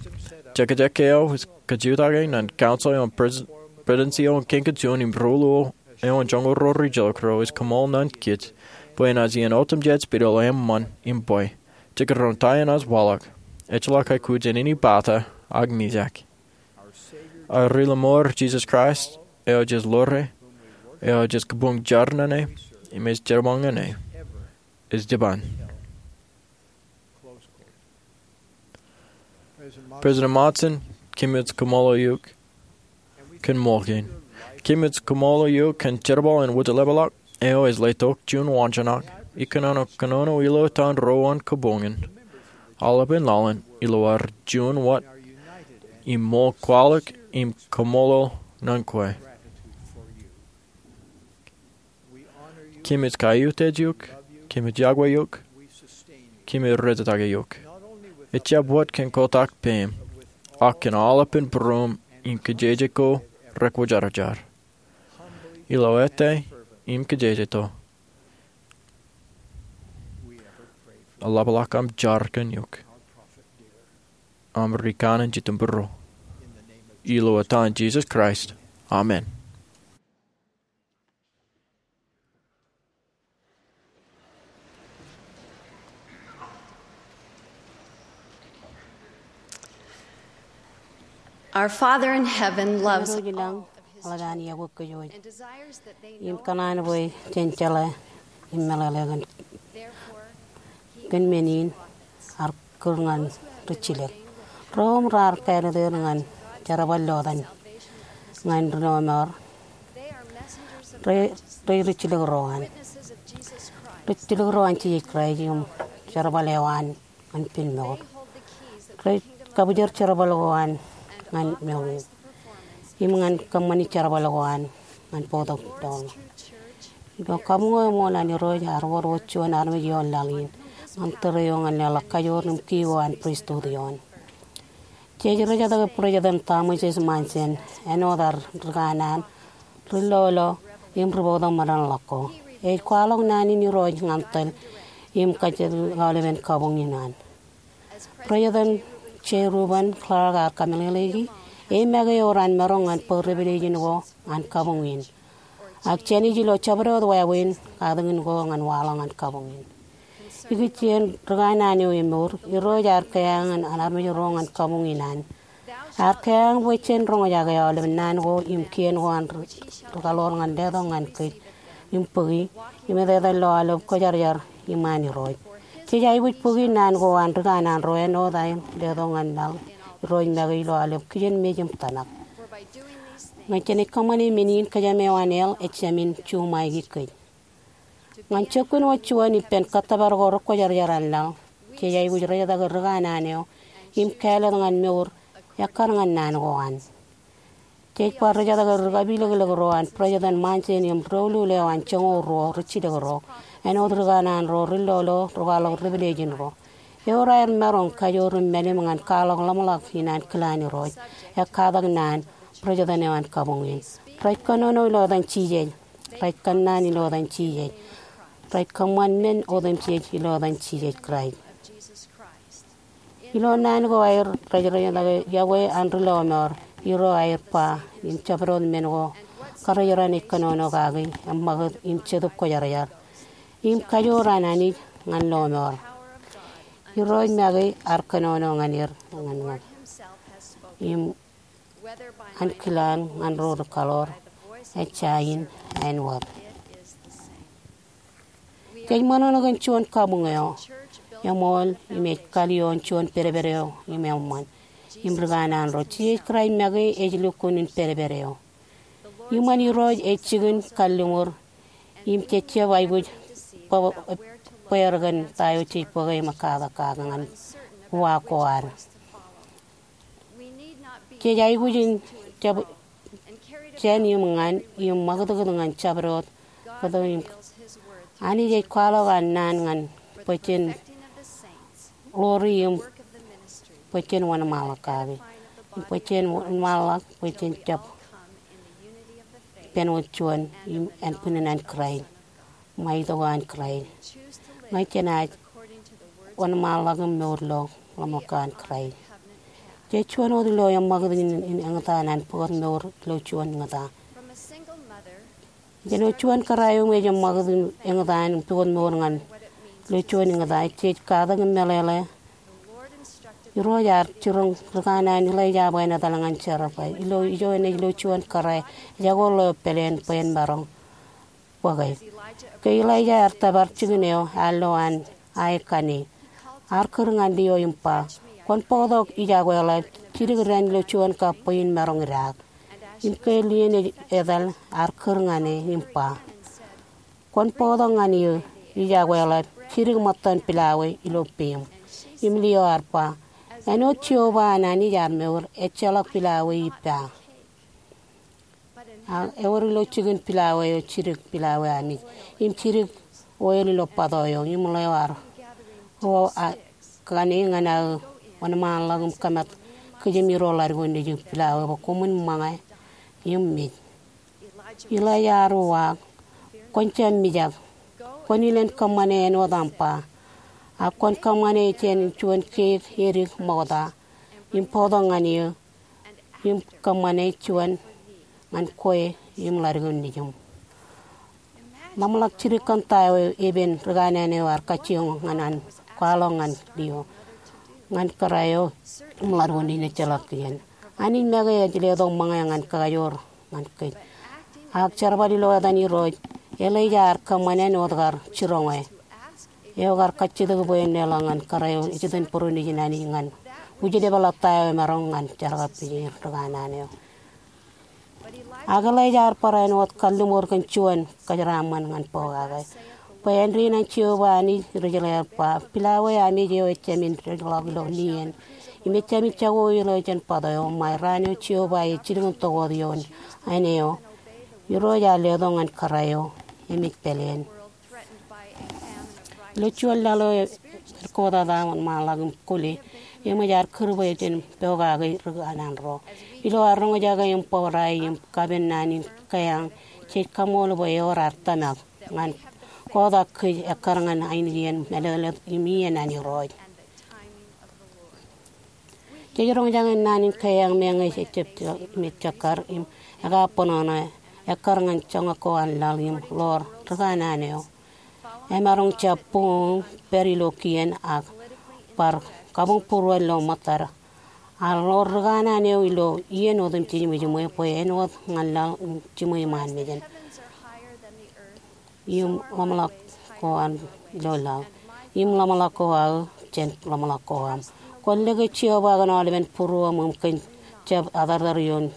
Jekjek eo ej kajutake ñan council eo an Presidensi eo an Kein Kein Juon im ruo eo an joñoul ruo rijilōk ro ej koṃṃool ñan kōj bwe enaaj iien otemjej pād ilo eṃṃan im bwe, jekdọọn ta enaaj waḷọk, ejjeḷọk aikuj in ipata ak mijak. Ad ri-lọmọọr Jisōs Kraist eo jej ḷoore, eo jej kabuñ jar ñan e, im ej jerbal ñan e, ej jibaan. President Monson, kōmij koṃṃool eok kōn ṃool kein. Kōmij koṃṃool eok kōn jerbal in wūjlepḷọk eo ej letok juon waanjoñak ikōnono kōnono ilo etan ro an kabuñ in. Aolepān laḷ in ilo ad juon wōt im ṃool kwaḷọk im kaṃṃoolol ñan kwe. Kōmij kaiutiej eok, kōmij yokwe eok, kōmij rejjitōk eok. Ejjab wōt kōn kotak peiṃ, ak kōn aolepān būruōṃ im kōjeje ko rekwōjarjar. Ilo ete im kōjejjeto, eḷapḷọk aṃ jar kōn eok, aṃ ri kanaan jitōnbōro. Ilo etan Jisōs Kraist, amen. Our Father in heaven loves Irooj ilañ, all of his eḷap an children iọkwe kōj wōj, and desires that they im know kōṇaan bwe jen jeḷā im meḷeḷe kōn, therefore, he kōn men in ear kūr ñan rijjilōk. Ro im raar kāālōt er ñan jerbal eo etan ñan ri-lọmọọr, rej, rej rijjilōk ro an, rijjilōk ro an Jisōs Kraist im jerbal eo an ñan pil mour. Rej kabwijer jerbal ko an ñan mour im ñan kōṃṃani jerbal ko an ñan bōktok doon. Ilo kabuñ eo eṃool an Irooj ear wōr wōt juon armej ioon laḷ in ñan tōre eo ñan leḷọk kajoor im kiiō an pristut ioon. Jej rejjitōk President Thomas S. Monson āinwōt ad ri kanaan, ri-lolo, im ri-bōktok meḷeḷe ko. Ej kwaḷọk naan in Irooj ñan tōl im kajjitōk aolepān kabuñ in an. President J. Reuben Clark ear kōmeḷeḷeiki, e make ewōr an maroñ ñan bōk revelation ko an kabuñ in, ak jān ij ilo jabdewōt wāween katakin ko ñan waḷọk ñan kabuñ in. Ikijjien ri kanaan eo emour, Irooj ear kea ñan armej ro ñan kabuñ in an. Ear kea bwe jen roñjake aolep naan ko im kien ko an ri, ri kaḷoor ñan letok ñan kōj im bōki im etetal ilo aolep kwōjarjar iṃaan Irooj. Jej aikuj bōki naan ko an ri kanaan ro āinwōt aer letok ñan laḷ Irooj make ilo aolep kijenmej im tōmak. Ñe jenaaj kōṃṃane men in, kōjām eo an hell ejāmin juṃaiki kōj. Ñan jokwe wōt juon ippān kōttōpar ko rekwōjarjar an laḷ, jej aikuj rejetake ri kanaan eo im kāālōt ñan mour ekkar ñan naan ko an. Jej bar rejetake ri kapilōklōk ro an President Monson im doulul eo an joñoul ruo rijjilōk ro, āinwōt ri kanaan ro, ri lolo, ri kwaḷọk revelation ro. Ewōr aer maroñ kajoor im mālim ñan kwaḷọk ḷōmṇak in an kilaan Irooj, ekkatak naan, President eo an kabuñ in. Rej kōnono ilo etan Jisōs. Rej kōnnaan ilo etan Jisōs. Rej kōṃṃan men otemjej ilo etan Jisōs Kraist. Ilo naan ko aer rej rejetake yokwe an ri lọmọọr, Irooj aer ba im jabdewōt men ko kōrejeraṇ ej kōnono kaki, eṃṃakūt im Jetōb Kwōjarjar im kajoor an Anij ñan lọmọọr. Irooj make ear kōnono ñan er ñan ñan im ankilaan ñan ro ri kaḷoor, ejja in āinwōt. Jej ṃōṇōṇō kōn juon kabuñ eo eṃool im ej kalioon juon pedped eo im eṃṃan. Im ri kanaan ro, Jisōs Kraist make ej lukkuun in pedped eo. Iṃōn Irooj ej jikin kalliṃur im jej jab aikuj bwe, bweer kōn ta eo jej bōke im ekkatak kaki ñan uwaak ko ad. Jej aikuj in jab jān im ñan im ṃakūtkūt ñan jabdewōt kōto im Anij ej kwaḷọk an naan ñan bwe jen ḷoori im bwe jen wōnṃaanḷọk kaki im bwe jen wōnṃaanḷọk bwe jen jab ippān wōt juon im ānbwinnin an Kraist. Ṃae itok an Kraist. Ñe jenaaj wōnṃaanḷọk im mour ilo ḷōmṇak ko an Kraist, jej juon wōt ilo eṃṃakūt in, in eñtaan ñan pukot mour ilo juon eñtaan. Jān wōt juon kōrā eo im ej eṃṃakūt in eñtaan pukot mour ñan ilo juon eñtaan, jej katak im meḷeḷe Irooj ear jiroñ ri kanaan Ilaija bwe en etal ñan Jerepwel. Ilo ijo enaaj lo juon kōrā ejako ḷeo pāleen bwe en maroñ bōke. Ke Ilaija ear tōpar jikin eo, ear lo an ae kanne. Ear kūr ñan liō im ba, kwōn bōktok ijekwe ḷap, jidik dān ilo juon kab bwe in maroñ idaak. Im ke lien ej etal, ear kūr ñan e im ba, kwōn bōktok ñan eō ijekwe ḷap, jidik ṃōttan pilawe ilo peiṃ. Im liō ear ba, āinwōt Jeova an Anij ear mour, ejjeḷọk pilawe ippa. Ak ewōr ilo jikin pilawe eo jidik pilawe amij im jidik oil ilo bato eo. Im ḷeo ear ro kanne ñan aō wōnṃaanḷọk im kōmat kijem iroḷadik ko nejū pilawe bwe koṃwin ṃōñā im mej. Ilaija ear uwaak, kwōn jab mijak. Kwōn ilen kōṃṃane āinwōt aṃ ba. Ak kwōn kōṃṃane jān juon keik edik ṃokta im bōktok ñan eō im kōṃṃane juon ñan kwe im ḷadik ko nejūṃ. Ḷōmṇak jidik kōn ta eo epen ri kanaan eo ear kajjioñ ñan an kwaḷọk ñan liō ñan kōrā eo im ḷadik ko nejū ejjeḷọk kijen. Anij make ej letok ṃōñā ñan kakajoor ñan kōj. Ak jerbal ilo etan Irooj, Ilaija ear kōṃṃan āinwōt kar jiroñ e. Eo kar kajjitōk bwe en leḷọk ñan kōrā eo ej itok bōro nejin Anij ñan wūjlepḷọk ta eo emaroñ ñan jerkakpeje ri kanaan eo. Ak Ilaija ear barāinwōt kalliṃur kōn juon kōjeraaṃṃan ñan pokake. Bwe āindein an Jeova Anij ri Israel ear ba, pilawe amij eo ejāmin dejḷọk ilo lien im ejāmin jako ilo jān bato eo, ṃae raan eo Jeova ej jilkintok wōt ioon āne eo Irooj ear letok ñan kōrā eo emej pāleen. Ilo juon laḷ eo ej kotata wōnṃaanḷọk im kole, eṃōj ear kūr bwe jen pokake ri kanaan ro. Ilo ad roñjake im bōbrae im kapen naan in keañ, jej kaṃṃoolol bwe ewōr ad tōmak ñan kotak kōj ekkar ñan ainikien mālōtlōt im iien an Irooj. Jej roñjake naan in keañ meñe ejjab im ej jekkar im ekabōṇōṇō ekkar ñan joñak ko an laḷ im ḷoor ri kanaan eo emaroñ jab buñuñ pād ilo kien ak bar kabuñbūruon ilo ṃōttad. Ak ḷoor ri kanaan eo ilo iien otemjej im jiṃwe bwe āinwōt ñan laḷ im jiṃwe iṃaan mejān im ḷōmṇak ko an ilo laḷ im ḷōmṇak ko aō jān ḷōmṇak ko aṃ. Kwōn lōke Jeova kōn aolepen būruōṃ im kōn jab atartar ioon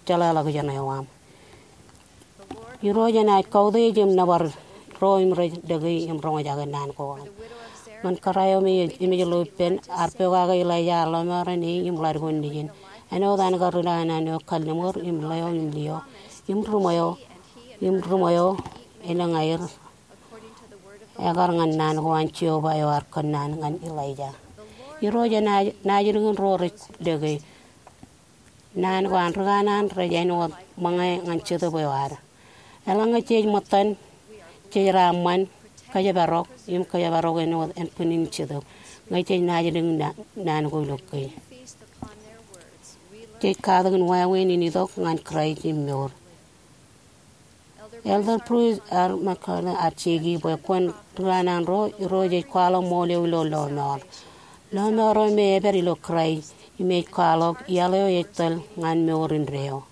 jeḷāḷọkjeṇ eo aṃ. Irooj enaaj kautiej im nōbar ro im rej dekā im roñjake naan ko an. Ñan kōrā eo me ej emej ilo ippān, ear pokake Elaija ear lọmọọren e im ḷaddik ko nejin. Āinwōt an kar ri kanaan eo kalliṃur im leo im lio im ri ṃweo, im ri ṃweo elōñ aer ekar ñan naan ko an Jeova eo ear kōnnaan ñan Elaija. Irooj enaaj naajdik in ro rej dekā. Naan ko an ri kanaan rej āinwōt ṃōñā ñan Jetōb eo ad. Eḷaññe jej ṃōttan, jej raṃṃan, kōjparok im kōjparok āinwōt ānbwinnin Jetōb ñe jej naajdik in na-, naan ko ilo kōj. Jej katakin wāween in itok ñan Kraist im mour. Elder Bruce R. McKellar ear jeki bwe kwōn ri kanaan ro, Irooj ej kwaḷọk ṃool eo ilo lọmọọr. Lọmọọr eo me epād ilo Kraist im ej kwaḷọk iaḷ eo ej tōl ñan mour indeeo.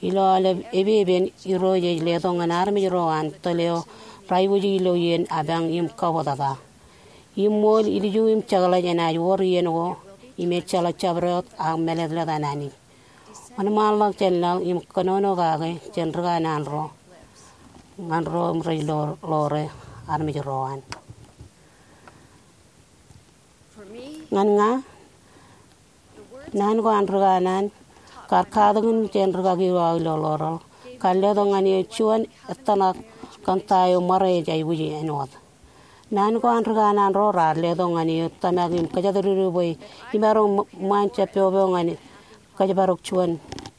Ilo aolep epepen, Irooj ej letok ñan armej ro an tōl eo raikuji ilo iien apañ im kabōtata. Im ṃool ilju im jekḷaj enaaj wōr iien ko im ejjeḷọk jabdewōt ak mālōtlōt an Anij. Wōnṃaanḷọk jān laḷ im kōnono kake jān ri kanaan ro ñan ro im rej ḷoore armej ro an. Ñan ña, naan ko an ri kanaan kar katakin jān rikaki eo aō ilo ḷoreḷ, kar letok ñan eō juon ettōṇak kōn ta eo ṃare ej aikuji āinwōt. Naan ko an ri kanaan ro raar letok ñan eō tōmak im kōjatdikdik bwe imaroñ ṃaan jab popo ñan kōjparok juon,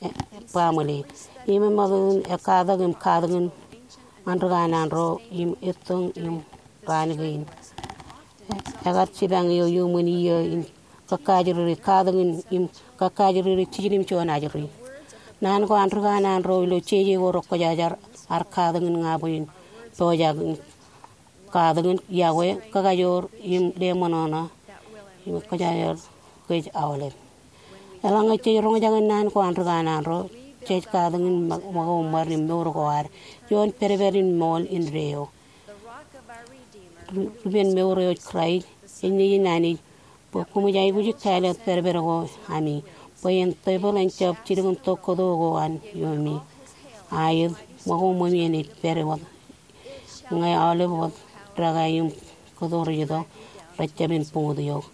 e, baaṃle. Im eṃṃakūt in ekkatak im katakin ñan ri kanaan ro im ettoñ im raan kein. Ekar jipañ eō iuṃwin iiō in kakaajriri katakin im kakaajriri jiljilimjuon ajri. Naan ko an ri kanaan ro ilo jeje ko rekwōjarjar ear katakin ña bwe in pojak in katakin, iọkwe, kakajoor im leṃōṇōṇō im kōjajar kōj aolep. Eḷaññe jej roñjake naan ko an ri kanaan ro, jej katakin ṃōko ṃōd im mour ko ad ioon pedped in ṃool indeeo. Ri-, ripen mour eo ej Kraist, ej Nejin Anij, bwe koṃij aikuji kāālōt pedped ko ami, bwe en tepel en jab jilkintok kōto ko an iuṃwin. Aet, ṃōko ṃōṃi enaaj pād wōt ñe aolep wōt dekā im kōto rej itok, rej jab in buñut eok.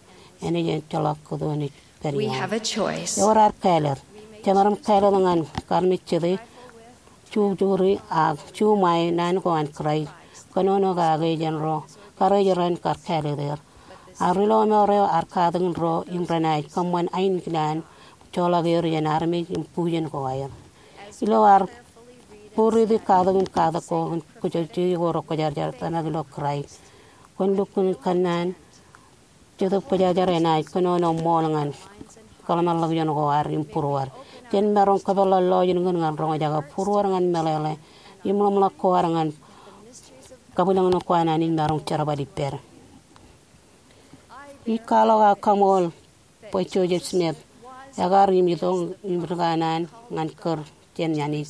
Enaaj ejjeḷọk kōto enaaj pād ioṃ. Ewōr ad kāālōt. Jemaroñ kāālōt ñan karmejjete, jukjukri ak juṃae naan ko an Kraist. Kōnono kake jān ro karijeran kar kāālōt er. Ak ri lọmọọr eo ear katakin ro im renaaj kōṃṃan ainikien joḷọk er jān armej im bujen ko aer. Ilo ad būriti katakin katak ko kōn kōjwōj jeje ko rekwōjarjar tōmak ilo Kraist, kwōn lukkuun kōnnaan Jetōb Kwōjarjar enaaj kōnono ṃool ñan kōḷmānḷọkjeṇ ko ad im būruod. Jen maroñ kōpeḷḷọk lọjilñin ñan roñjake būruod ñan meḷeḷe im ḷōmṇak ko ad ñan kabwilōñlōñ ko an Anij maroñ jerbal ippād. Ij kwaḷọk aō kaṃool bwe Joseph Smith ekar im itok im ri kanaan ñan kūr jān Anij,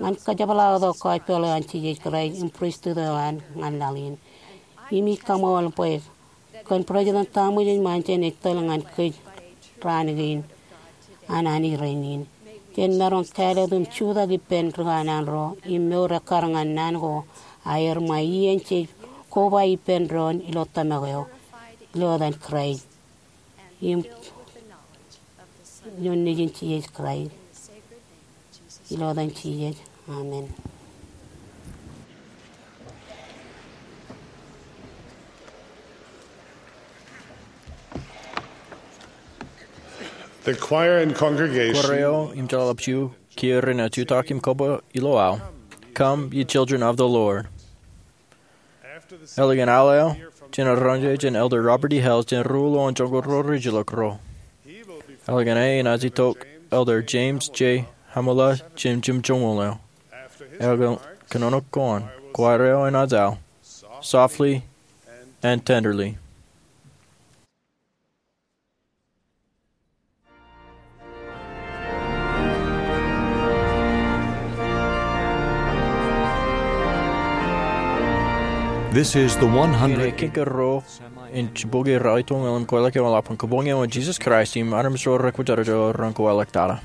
ñan kajepḷaaktok gospel eo an Jisōs Kraist im pristut eo an ñan laḷ in. Im ij kaṃool bwe kōn President Thomas S. Monson ej tōl ñan kōj raan kein an Anij rainin. Jen maroñ kāālōt im jutak ippān ri kanaan ro im mour ekkar ñan naan ko aer ṃae iien jej koba ippān doon ilo tōmak eo, ilo etan Kraist. Im ioon Nejin Jisōs Kraist. Ilo etan Jisōs. Amen. The choir and congregation. Kwōj eo im jeḷāḷọkjeṇ kiiō renaaj jutak im koba ilo aō, "Come, ye children of the Lord." Ālikin al eo, jen roñjake jān Elder Robert E. Hales jān ruo ilo joñoul ro rej ilọk ro. Ālikin e enaaj itok Elder James J. Hamala jān jimjuonñoul eo. Ālikin kōnono ko an, choir eo enaaj al, "Softly and Tenderly." This is the one hundred. Iien eñin kōn ruo in jibboñōn ralitōñal im kōwaḷọk eo eḷap an Kabuñ eo an Jisōs Kraist im armej ro rekwōjarjar ren kōwaḷọk tata.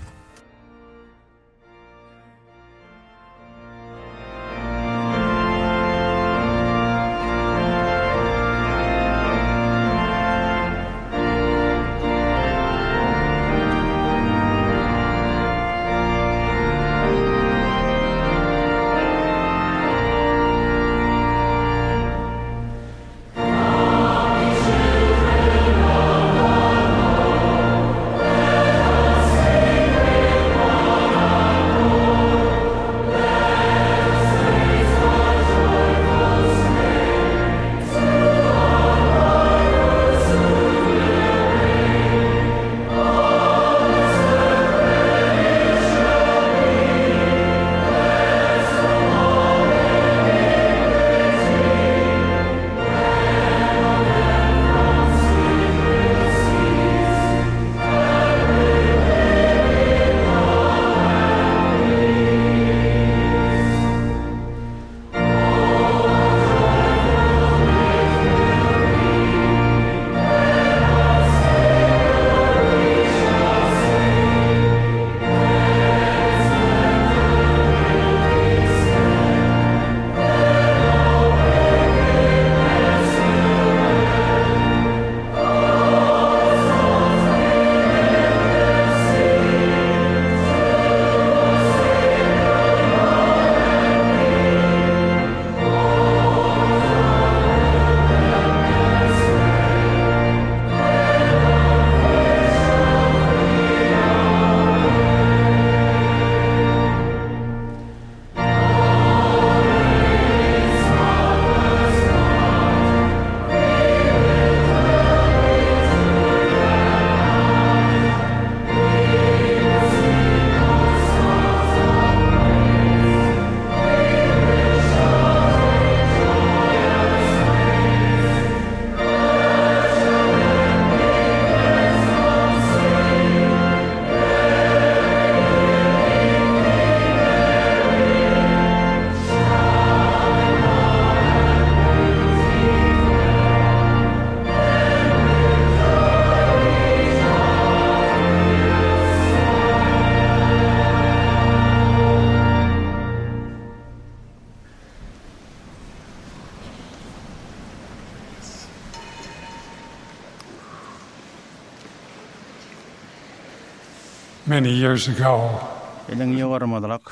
Many years ago, elōñ iiō ko remootḷọk,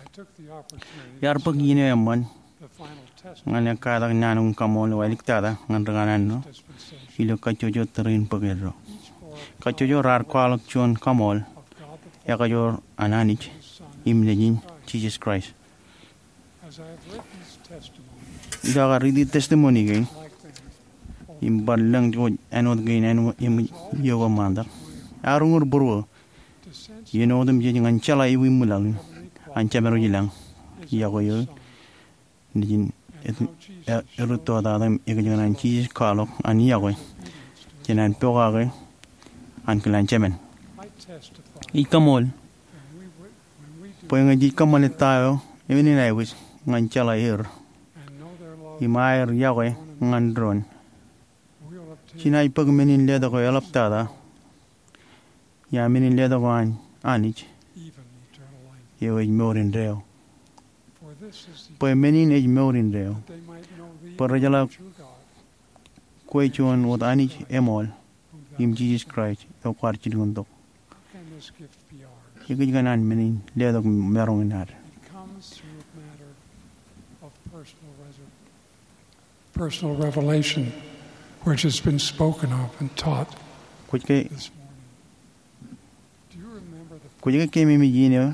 I took the opportunity iar bōk iien eo eṃṃan to the final test ñan ekkatak naan in kaṃool eo āliktata ñan ri kanaan ro dispensation ilo kajjojo tōre in bōk eddo. Each bore a kajjojo raar kwaḷọk juon kaṃool of God the Father, ekajoor an Anij, Son, im Nejin Jesus Christ. As I have written this testimony, ilo aō kar riiti testimony kein, like them, im bar lōñ ko āinwōt kein āinwōt im iiō ko ṃaantak, ear uñūr būruō to sense iien otemjej ñan jeḷā ewi ṃwilaḷ in an Jemedwōj ilañ, yokwe eo, Nejin, e, e, erūttotatak im ekōjkan an Jesus kwaḷọk an yokwe jān an pokake ankilaan jemān. I kaṃool bwe ñe jej kōṃṃane ta eo eñin aikuj ñan jeḷā er im aer yokwe ñan doon, jenaaj bōk men in letok eo eḷaptata, ia men in letok eo an Anij, eo ej mour indeeo. Bwe men in ej mour indeeo, bwe rejeḷā kwe juon wōt Anij eṃool im Jesus Christ eo kwaar jilkintok. Ekōjkan an men in letok maroñ in ad? Personal revelation, which has been spoken of and taught. Kwōj ke, kwōj ke keememej iien eo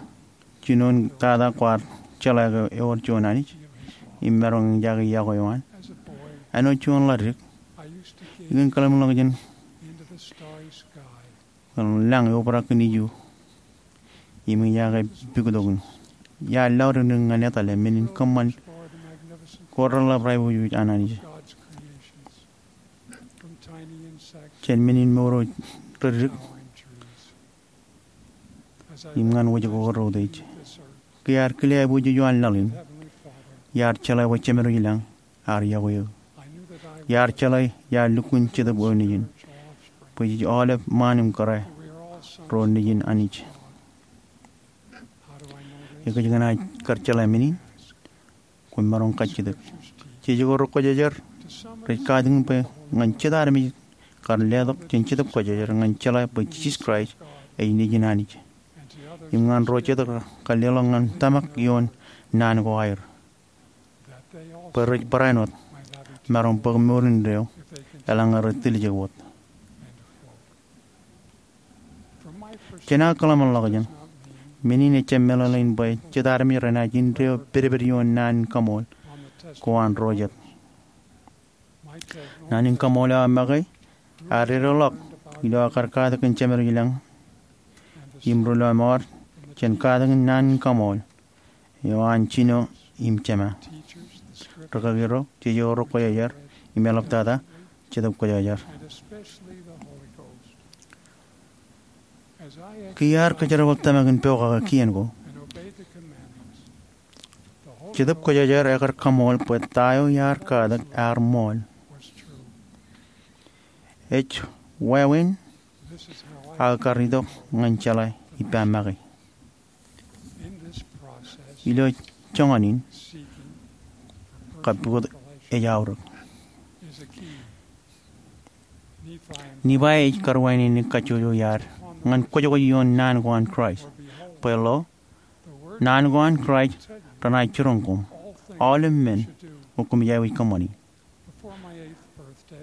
jinoin tata kwaar jeḷā ke ewōr juon Anij im maroñ in jake yokwe eo an? Āinwōt juon ḷaddik, ikōn kōḷmānḷọkjeṇ kōn lañ eobrak kōn iju im ijaake puktokin. Iar laḷ dik ñan etale men in kōṃṃan ko reḷap raiboojoj an Anij, jān men in mour eo reddik im ñan wōj ko reutiej. Ke iar kile aiboojoj eo an laḷ in, iar jeḷā bwe Jemedwōj ilañ ear yokwe eō. Iar jeḷā iar lukkuun Jetōb eo Nejin, bwe jej aolep ṃaan im kōrā ro nejin Anij. Ekōjkan an kar jeḷā men in? Kwōn maroñ kajjitōk. Jeje ko Rekwōjarjar rej katakin bwe ñan jet armej kar letok jān Jetōb Kwōjarjar ñan jeḷā bwe Jisōs Kraist ej Nejin Anij, im ñan ro jet kar leḷọk ñan tōmak ioon naan ko aer, bwe rej barāinwōt maroñ bōk mour indeeo eḷaññe rej tiljek wōt. Jān aō kōḷmānḷọkjeṇ, men in ejjab meḷeḷein bwe jet armej renaaj indeeo pedped ioon naan in kaṃool ko an ro jet. Naan in kaṃool eo aō make ear edeḷọk ilo aō kar katak kōn Jemedwōj ilañ im ri lọmọọr jān katakin naan in kaṃool eo an jino im jema, rikaki ro, jeje ko Rekwōjarjar, im eḷaptata Jetōb Kwōjarjar. Ke iar kōjerbal tōmak in pokake kien ko, Jetōb Kwōjarjar ekar kaṃool bwe ta eo iar katak ear ṃool. Ej wāween aō kar itok ñan jeḷā ippa make. Ilo joñan in, kappukot ej aorōk. Nifai ej karwaineneik kajjojo iaad ñan kwōjkwōj ioon naan ko an Kraist. Bwe lo, naan ko an Kraist renaaj jiroñ koṃ, aolep men, koṃij aikuj kōṃṃani.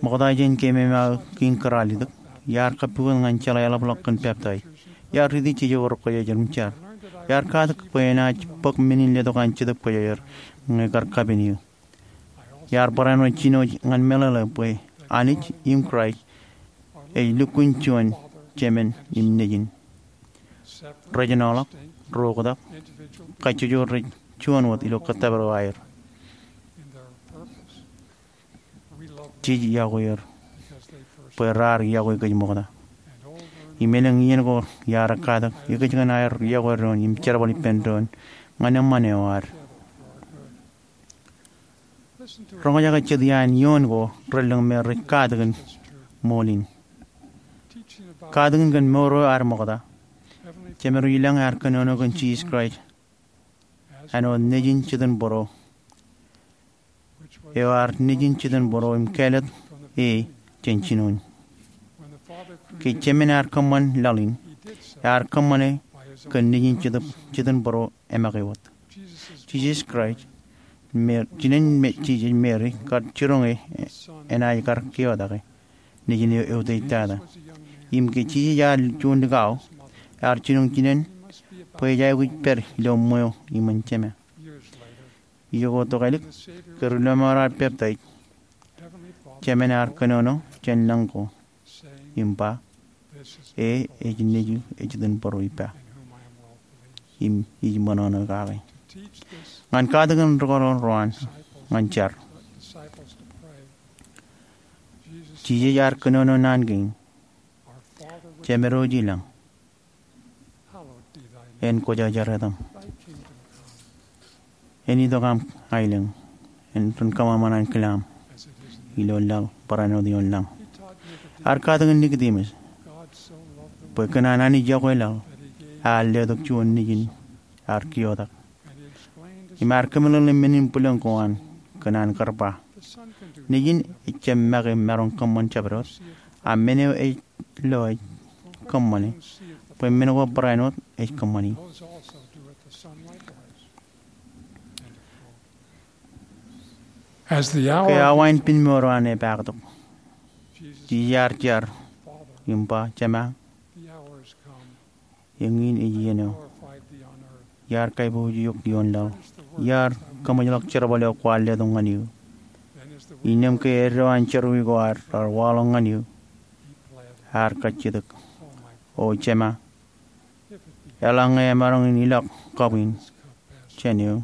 Ṃokta jān keememej aō kein kōrā al itok, iar kappukot ñan jeḷā eḷapḷọk kōn peptaij. Iar riiti jeje ko Rekwōjarjar im jar. Iar katak bwe enaaj bōk men in letok an Jetōb Kwōjarjar ñe kar kapen eō. Iar barāinwōt jino ñan meḷeḷe bwe Anij im Kraist ej lukkuun juon Jemān im Nejin. Rej ṇọkḷọk, ro oktak, kajjojo rej juon wōt ilo kōttōpar eo aer. Jej yokwe er bwe raar yokwe kōj ṃokta. Im elōñ iien ko iar katak ekōjkan aer yokwe doon im jerbal ippān doon ñan eṃṃan eo ad. Roñjake jet iaan ioon ko relōñ me rej katakin ṃool in. Katakin kōn mour eo ad ṃokta, Jemedwōj ilañ ear kōnono kōn Jisōs Kraist āinwōt Nejin Jetōnbōro, eo ear Nejin Jetōnbōro im kāālōt e jān jinoin. Ke Jemān ear kōṃṃan laḷ in, Ear kōṃṃane kōn nejin jitōnbōro emake wōt. Jisōs Kraist, Mer- jinen Jisōs, Meri kar jiroñ e enaaj kar keotake nejin eo eutiej tata. Im ke Jisōs ear juon likao, ear jiroñ jinen bwe ej aikuj pād ilo ṃweo iṃōn Jema. Ijo ko tokālik, ke ri lọmọọr ear peptaij, Jemān ear kōnono jān lañ ko im ba, E ej nejū ej jitōnbōro ippa, im ij ṃōṇōṇō kake. Ñan katakin rūkaḷoor ro an ñan jar, Jisōs ear kōnono naan kein, Jemedwōj ilañ, en kwōjarjar etaṃ. En itok aṃ aelōñ, en ren kōṃanṃan ankilaṃ ilo laḷ barāinwōt ioon lañ. Ear katakin Nikodimus bwe kōn an Anij yokwe laḷ, ear letok juon nejin ear keotak. Im ear kōmeḷeḷe men in bwilōñ ko an kōn an kar ba, Nejin ejjab make maroñ kōṃṃan jabdewōt, a men eo ej lo ej kōṃṃane, bwe men ko barāinwōt ej kōṃṃani. Ke awa in piñmour eo an epaaktok, Jisōs ear jar im ba, Jema, eñin ej iien eo iar kaiboojoj eok ioon laḷ. Iar kōṃōjḷọk jerbal eo kwaar letok ñan eō. Innām ke eddo an jerọwiwi ko raar waḷọk ñan eō, ear kajjitōk, O Jema, eḷaññe emaroñ in ilọk kab in jān eō,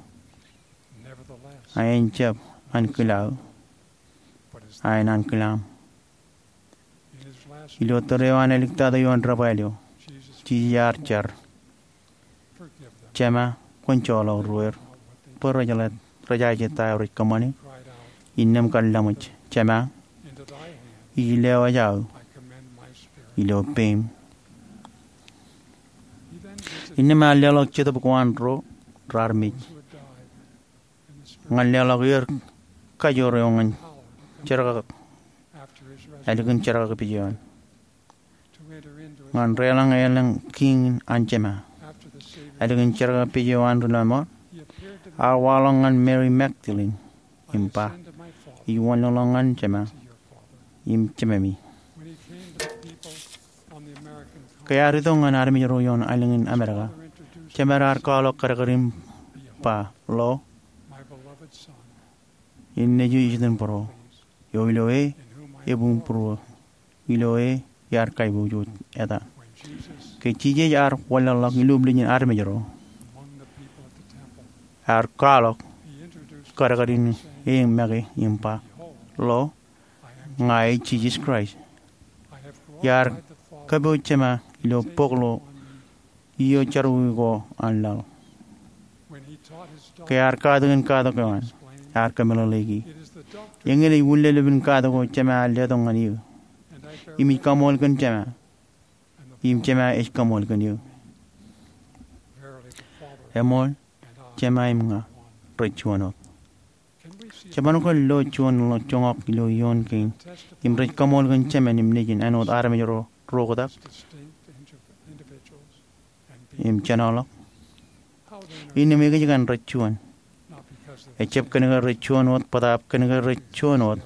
a en jab ankilaaō, a en ankilaṃ. Ilo tōre eo an āliktata ioon debwāāl eo, Jisōs ear jar, Jema, kwōn joḷọk ruōer, bwe rej jaje ta eo rej kōṃṃane. Innām kar laṃōj, Jema, ij lewōj aō ilo peim. Innām ear leḷọk jetōb ko an ro raar mej ñan leḷọk er kajoor eo ñan jerkakpeje ālikin jerkakpeje eo an, ñan deḷọñ elōñ kiiñ an Jema. Ālikin jerkakpeje eo an ri lọmọọr, ear waḷọk ñan Meri Magdalin im ba, Ij wanlōñḷọk ñan Jema im Jememi. Ke ear itok ñan armej ro ioon aelōñ in Amerika, Jemād ear kwaḷọk kadkad im ba, Lo, en nejū ijitōnbōro, eo ilo e ebuñbūruō, ilo e iar kaiboojoj eta. Ke Jisōs ear wanlōñḷọk ilublijin armej ro, ear kwaḷọk kadkad in e make im ba, Lo, ña ij Jisōs Kraist. Iar kōpooj Jema ilo bok ilo iiō jerọwiwi ko an laḷ. Ke ear katakin katak eo an, ear kōmeḷeḷeiki, Eñin ej ullelep in katak eo Jema ear letok ñan eō. Im ij kaṃool kōn Jema, im Jema ej kaṃool kōn eō. Eṃool, Jema im ña rej juon wōt. Jeban kwōn lo juon joñak ilo ioon kein im rej kaṃool kōn Jemān im Nejin āinwōt armej ro roktak im jenoḷọk? Innām ekōjkan rej juon? Ejjab kōn ke rej juon wōt, bōtaab kōn ke rej juon wōt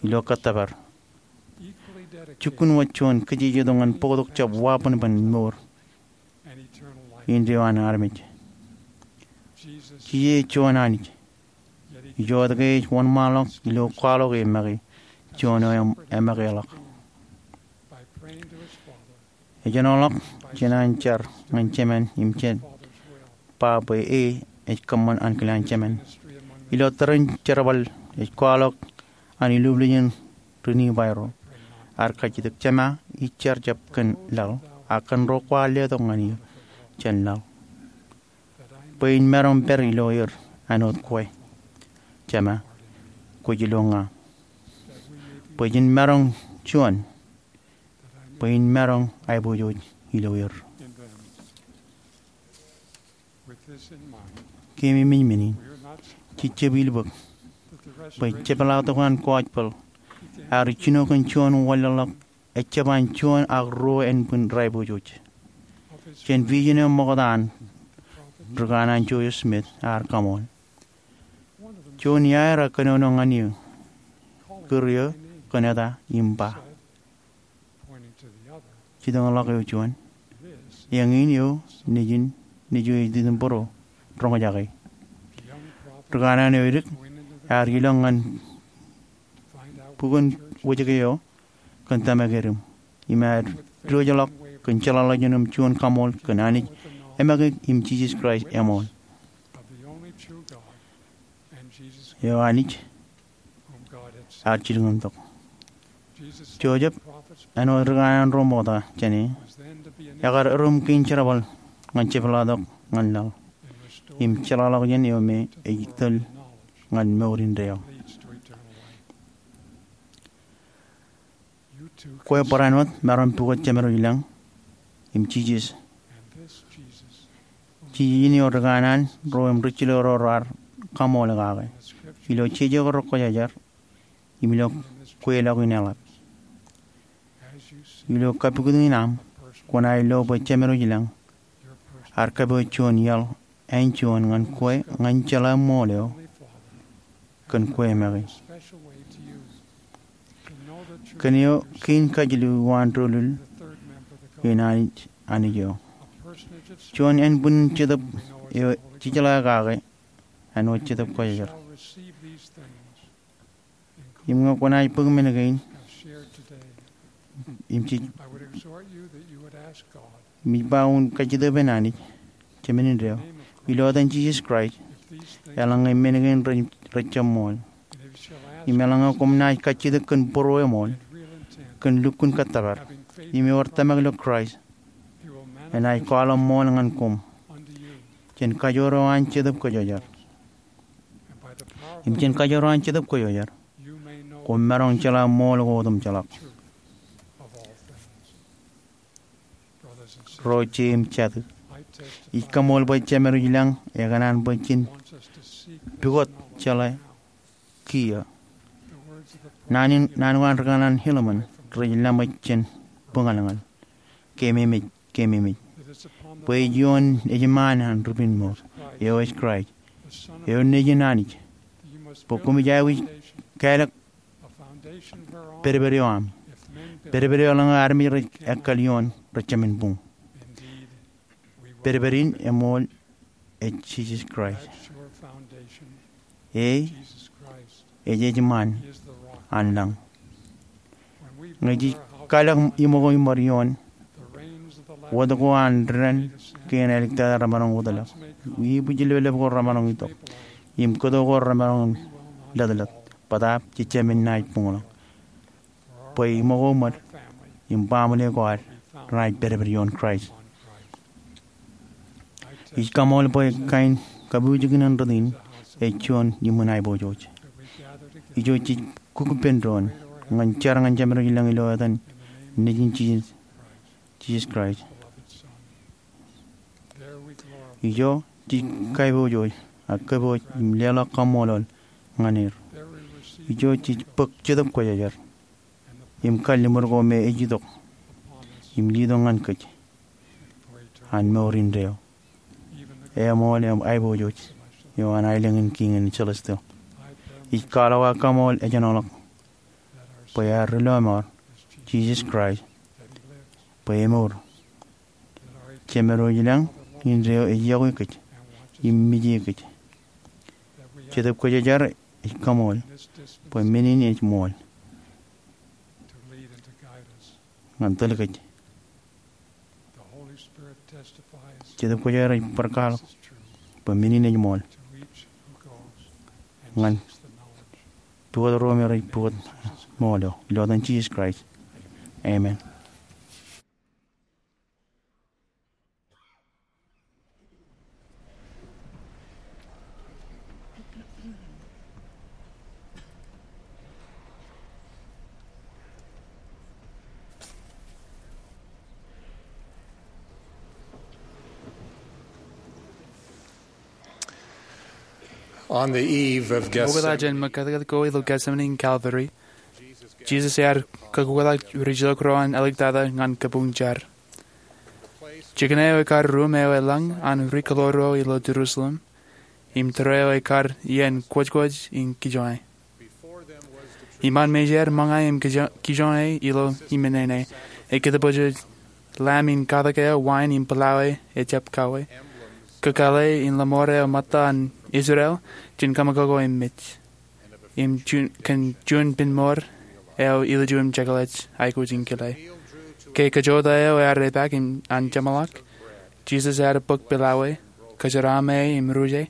ilo kōttōpar. Jukkuun wōt juon kōjejjet eo ñan bōktok jab wabōnbōn mour indeeo an armej. Jisōs ej juon Anij, ijoke ej wōnṃaanḷọk ilo kwaḷọk e make juon eo emakeḷọk. Ejenoḷọk jān an jar ñan Jemān im jen ba bwe e ej kōṃṃan ankilaan Jemān. Ilo tōre in jerbal ej kwaḷọk an ilublijin ri Nifai ro. Ear kajjitōk, Jema, ij jar jab kōn laḷ, a kōn ro kwaar letok ñan eō jān laḷ, bwe in maroñ pād ilo er āinwōt kwe. Jema, kwōj ilo ña, bwe jen maroñ juon, bwe in maroñ aiboojoj ilo er. Keememej men in, jej jab ilbōk bwe jepḷaaktok an gospel ear jino kōn juon wanlōñḷọk ejjab an juon ak ruo ānbwin rej aiboojoj. Jān vision eo ṃokta an ri kanaan Joseph Smith ear kaṃool. Juon iaer ekanono ñan eō, kūr eō kōn eta im ba, jitōñḷọk eo juon, eñin eo nejin, nejin eo ej itōn bōro, roñjake. Ri kanaan eo edik ear ilọk ñan bukun wōjke eo kōn tōmak edim im ear diwōjḷọk kōn jeḷāḷọkjeṇ im juon kaṃool kōn Anij eṃōkaj im Jisōs Kraist eṃool, eo Anij ear jilkintok. Joseph, āinwōt ri kanaan ro ṃokta jāne, ekar erom kein jerbal ñan jepḷaaktok ñan laḷ im jeḷāḷọkjeṇ eo me ej tōl ñan mour indeeo. Kwe barāinwōt maroñ pukot Jemedwōj Lañ im Jisōs. Jisōs in eo ri kanaan ro im ri jilōk ro raar kaṃool kake ilo jeje ko rekwōjarjar im ilo kweilọk in eḷap. Ilo kapukot in aṃ, kwōnaaj lo bwe Jemedwōj Lañ ear kōpooj juon iaḷ āinjuon ñan kwe ñan jeḷā ṃool eo kōn kwe make. Kōn eo kein kajilu uwaan doulul in Anij, Anij eo. Juon ānbwinnin Jetōb eo jejeḷā kake āinwōt Jetōb Kwōjarjar. Im ñe kwōnaaj bōk men kein im jej, im ij ba wōn kajjitōk bwe en Anij, Jemān indeeo, ilo etan Jisōs Kraist, eḷaññe men kein rej, rej jab ṃool. Im eḷaññe koṃ naaj kajjitōk kōn būruō eṃool, kōn lukkuun kōttōpar, im ewōr tōmak ilo Kraist, enaaj kwaḷọk ṃool ñan koṃ jān kajoor eo an Jetōb Kwōjarjar. Im jān kajoor eo an Jetōb Kwōjarjar, koṃ maroñ jeḷā ṃool ko otemjeḷọk. Ro jeiū im jatū, ij kaṃool bwe Jemedwōj Lañ ekōṇaan bwe jen pukot jeḷā kiiō. Naan in, naan ko an ri kanaan Helaman rej laṃōj jān bōñalñal. Keememej, keememej. Bwe ej ioon ejṃaan an Ripinmour, eo ej Kraist, eo Nejin Anij, bwe koṃij aikuj kālōk pedped eo aṃ. Pedped eo eḷaññe armej rej ekkal ioon, rej jāmin buñ. Pedped in eṃool ej Jisōs Kraist. E, ej ejṃaan an lañ. Ñe jej kalōk iṃōko im bar ioon, wōt ko an dān kein āliktata remaroñ wōtlọk, ibwijlepḷep ko remaroñ itok, im kōto ko remaroñ lōtlōt, bōtaab jej jāmin naaj buñḷọk. Bwe iṃōko ṃōd im baaṃle ko ad renaaj pedped ioon Kraist. Ij kaṃool bwe kain kabuuj in ṇe in ej juon iṃōn aiboojoj. Ijo jej kukpein doon ñan jar ñan Jemedwōj Lañ ilo etan Nejin Jisōs, Jisōs Kraist. Ijo jej kaiboojoj ak kōpooj im leḷọk kaṃṃoolol ñan er. Ijo jej bōk Jetōb Kwōjarjar im kalliṃur ko me ej itok im letok ñan kōj an mour indeeo. Eṃool, eṃool aiboojoj eo an aelōñ in kiiñ in celestial. Ij kwaḷọk aō kaṃool ejjeḷọk bwe ad ri lọmọọr, Jisōs Kraist, bwe emour. Jemedwōj Lañ indeeo ej yokwe kōj im mije kōj. Jetōb Kwōjarjar ej kaṃool bwe men in ej ṃool ñan tōl kōj. Jetōb Kwōjarjar ej bar kwaḷọk bwe men in ej ṃool ñan pukot ro me rej pukot ṃool eo. Ilo etan Jisōs Kraist, amen. On the eve of Gethsemane, ṃokta jān ṃōkatak ko ilo Gethsemane in Calvary, Jisōs ear kakkuktak rijilōk ro an āliktata ñan kabuñ jar. Jikin eo ekar ruum eo eḷañ an ri-kōḷaḷ ro ilo Jerusalem, im tōre eo ekar iien kwōjkwōj in kijoñe. Iṃaan mejād ṃōñā im kijoñe ilo iṃōṇōṇō, ekōtpōjoj lamb in katak eo wain im pilawe ejjab kawe, kakāāle in lọmọọr eo ṃōtta an Israel jān kōṃakoko im mej, im kōn juon penmour eo ilju im jekḷaj aikuj in kile. Ke kajjojo eo ear epaak an jeṃḷọk, Jisōs ear bōk pilawe, kōjeraaṃe im ruje,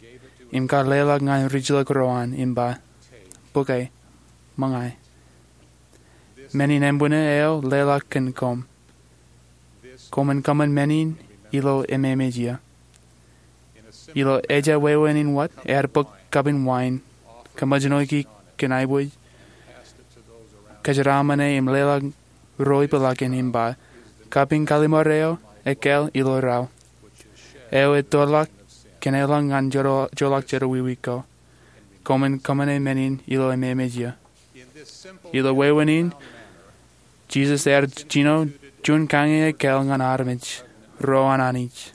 im kar leḷọk ñan rijḷọk ro an im ba, "Bōke, ṃōñā. Men in embūṇe eo leḷọk kōn koṃ. Koṃwin kōṃṃan men in ilo ememej iiō." Ilo ejja wāween in wōt, ear bōk kapin wain, kōṃōjṇọ kōn aibooj, kōjeraaṃe im leḷọk ro ipḷakin im ba, "Kapin kallim̧ur eo ekāāl ilo raṇ, eo ettoḷọk kōn eḷaññe joḷọk jerọwiwi ko. Koṃwin kōṃṃane men in ilo ememej iiō." Ilo wāween in, Jisōs ear jino juon kañin ekāāl ñan armej, ro an Anij.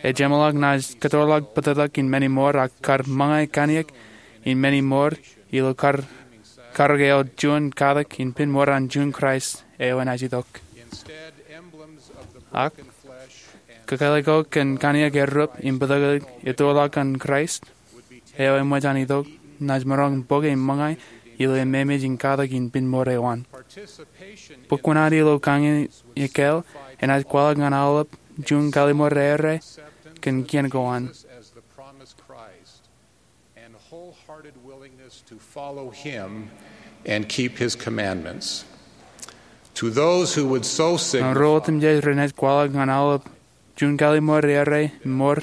Ejeṃḷọk naaj kōttoḷọk bōtōktōk in men in mour ak kar ṃōñā kōn iien in men in mour ilo kar, karōk eo juon katak in penmour an juon Kraist eo enaaj itok. Ak, kakāāle ko kōn kōn iien erup im bōtōktōk ettoḷọk an Kraist eo eṃōj an itok, naaj maroñ bōke im ṃōñā ilo ememej in katak in penmour eo an. Bōk kuṇaad ilo kañin ekāāl enaaj kwaḷọk ñan aolep juon kallim̧ur eo rej kōn kien ko an. And wholehearted willingness to follow him and keep his commandments. To those who would so signify, ñan ro otemjej renaaj kwaḷọk ñan aolep juon kallim̧ur eo rej mour,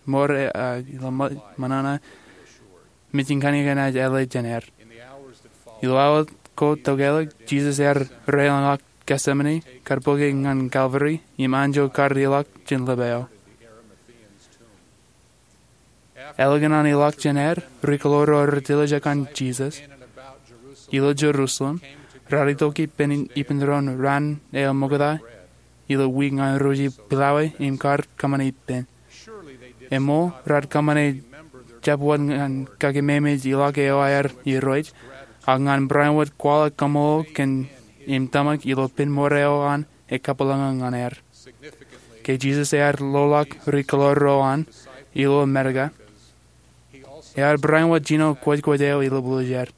mour, uh, ilo ṃō-, ṃōṇōṇō, mej in kōn iien enaaj āle jān er. Ilo awa ko tokālik, Jisōs ear reiḷọk Getsemane, kar bōke ñan Kalvari, im anjọ kar ilọk jān lōb eo. Ālikin an ilọk jān er, ri-kōḷaḷ ro rej tiljek ñan Jisōs ilo Jerusalem raar itok ippān, ippān doon raan eo ṃokta ilo wiik ñan ruje pilawe im kar kōṃṃane ippān. Eṃṃool, raar kōṃṃane jab wōt ñan kakememej ilọk eo aer irooj, ak ñan barāinwōt kwaḷọk kaṃṃoolol kōn im tōmak ilo penmour eo an ekabwilōñlōñ ñan er. Ke Jisōs ear loḷọk ri-kōḷaḷ ro an ilo Amerika, ear barāinwōt jino kwōjkwōj eo ilo būḷjeer.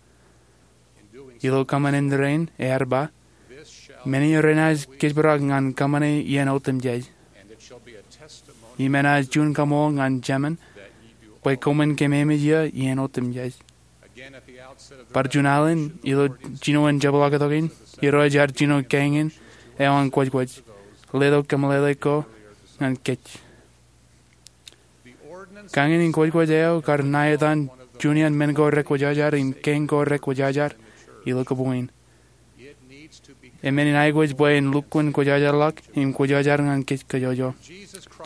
Ilo kōṃṃan in rainin ear ba, "Men in renaaj kōjparok ñan kōṃṃane iien otemjej. Im enaaj juon kaṃṃoolol ñan Jemān bwe koṃwin kememej iiō iien otemjej." Bar juon alen ilo jinoin jepḷaaktok in, Irooj ear jino kañin eo an kwōjkwōj, letok kōmeḷeḷe ko ñan kōj. Kañin in kwōjkwōj eo kar ṇa etan juon iaan men ko rekwōjarjar im kañ ko rekwōjarjar ilo kōpoñ in. Eṃṃan in aikuj bwe en lukkuun kwōjarjarḷọk im kwōjarjar ñan kōj kajjojo.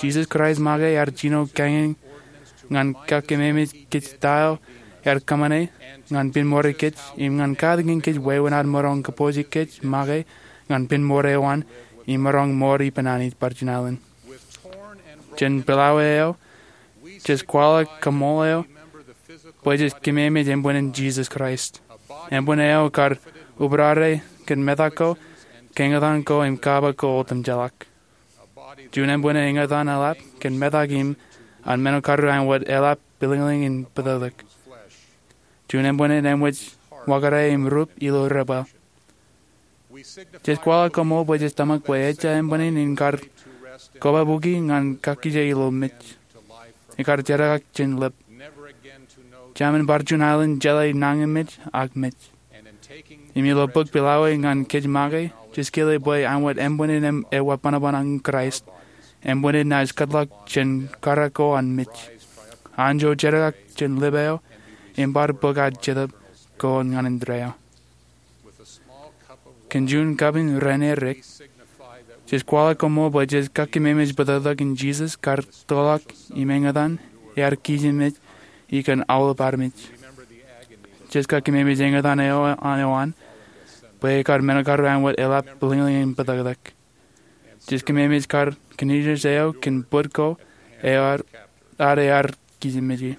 Jisōs Kraist make ear jino kañin ñan kakememej kōj ta eo ear kōṃṃane ñan penmour kōj im ñan katakin kōj wāween ad maroñ kōpooj kōj make ñan penmour eo an im maroñ mour ippān Anij bar juon alen. Jān pilawe eo, jej kwaḷọk kaṃṃoolol eok bwe jej kememej embōnen Jisōs Kraist, embōn eo kar ubrare kōn metak ko, kañōtan ko im kaba ko otemjeḷọk. Juon embōnen eñtaan eḷap kōn metak im an men ko kar āinwōt eḷap bwilōñlōñ in bōtōktōk. Juon embōnen eṃōj wakare im rup ilo debwāāl. Jej kwaḷọk kaṃṃoolol bwe jej tōmak bwe ejja embōnen in kar kobabuki ñan kakkije ilo mej. Ekar jerkakḷọk jān lōb. Jemān bar juon alen jeḷā nañinmej ak mej. Im ilo bōk pilawe ñan kōj make, jej kile bwe āinwōt embōnen ewa bōnbōn an Kraist, embōnen naaj kōtḷọk jān karōk ko an mej. Anjọ jerkakḷọk jān lōb eo, im bar bōk ad Jetōb ko ñan indeeo. Kōn juon kapin raan erik, jej kwaḷọk kaṃṃoolol bwe jej kakememej bōtōktōk in Jisōs kar toḷọk im eñtaan ear kijenmej ikōn aolep armej. Jej kakememej eñtaan eo an, bwe ekar men ko kar āinwōt eḷap bwilōñlōñ in bōtōktōk. Jej kememej kar kōn ijin eo kōn bōd ko eo ad ear kijenmeje.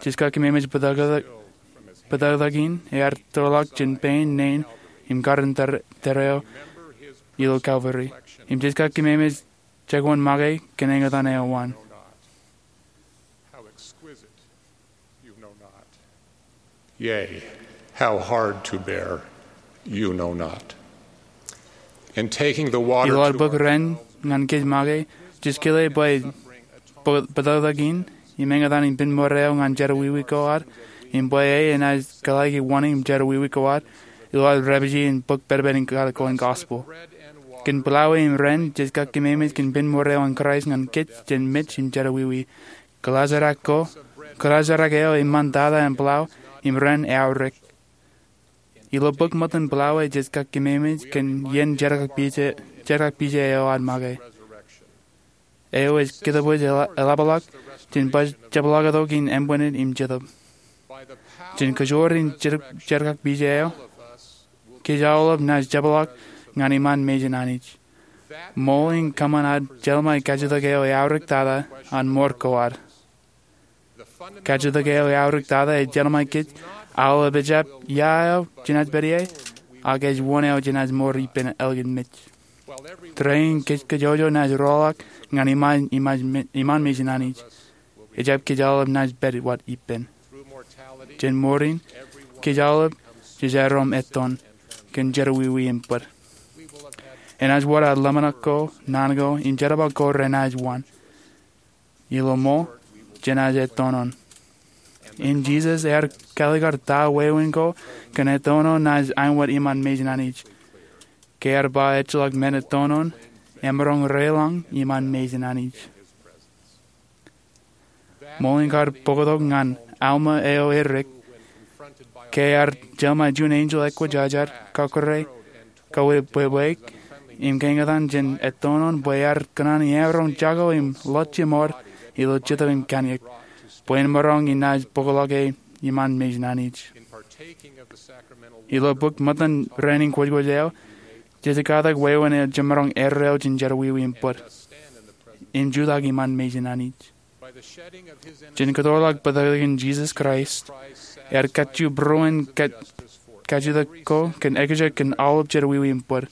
Jej kememej bōtōktōk in ear tōrḷọk jān pein nein im kar in tōre eo ilo Kalvari. Im jej kememej jekwan make kōn eñtaan eo an. Yea, how hard to bear, you know not. In taking the water Ilo ad bōk ren ñan kōj make, jej kile bwe bōtōktōk in im eñtaan in pen mour eo ñan jerọwiwi ko ad, im bwe e enaaj kalōke wōṇāān im jerọwiwi ko ad ilo ad repije in bōk pedped in katak ko an gospel. Kōn plowway im ren, jej kememej kōn pen mour eo an Kraist ñan kōj jān mej im jerọwiwi. Kōḷaajrak ko, kōḷaajrak eo eṃṃan tata an plow im ren eaorōk. Ilo bōk ṃōttan plowway jej kememej kōn iien jerkakpije eo ad make. Eo ej kōtōpoj eḷapḷọk jān baj jepḷaaktok in ānbwinnin im jetōb. Jān kōjoor in jerkakpije eo, kōj aolep naaj jepḷaak ñan iṃaan mejān Anij. Ṃool in kōṃṃan ad jeḷmāe kajjitōk eo eaorōk tata an mour ko ad. Kajjitōk eo eaorōk tata ej jeḷmāe kōj aolep ejjab ia eo jenaaj pād ie, ak ej wōn eo jenaaj mour ippān ālikin mej. Tōre in kōj kajjojo naaj roḷọk ñan iṃaan mejān Anij. Ejjab kōj aolep naaj pād wōt ippān. Jān mour in, kōj aolep jej aerro im ettoon kōn jerọwiwi im bōd. Enaaj wōr ad ḷōmṇak ko, naan ko, im jerbal ko renaaj waan. Ilo ṃool, jenaaj ettoon. Im Jisōs ear kaalikkar ta wāween ko kōn ettoon naaj āinwōt iṃaan mejān Anij. Ke ear ba ejjeḷọk men ettoon, emaroñ reḷọñ iṃaan mejān Anij. Ṃool in kar bōktok ñan Alma eo erik, ke ear jeḷmāe juon enjeḷ ekwōjarjar kakure kawebweik im kaeñtaan jān ettoon bwe ear kōṇaan emaroñ jako im ḷọk jemour ilo jetōb im kanniōk, bwe en maroñ inaaj bōkḷọke iṃaan mejān Anij. Ilo bōk ṃōttan rainin kwōjkwōj eo, jej katak wāween eo jemaroñ erreo jān jerọwiwi im bōd im jutak iṃaan mejān Anij. Jān kōtōḷọk bōtōktōkin Jisōs Kraist, ear kajju būruon kajjitōk ko kōn ekjek kōn aolep jerọwiwi im bōd.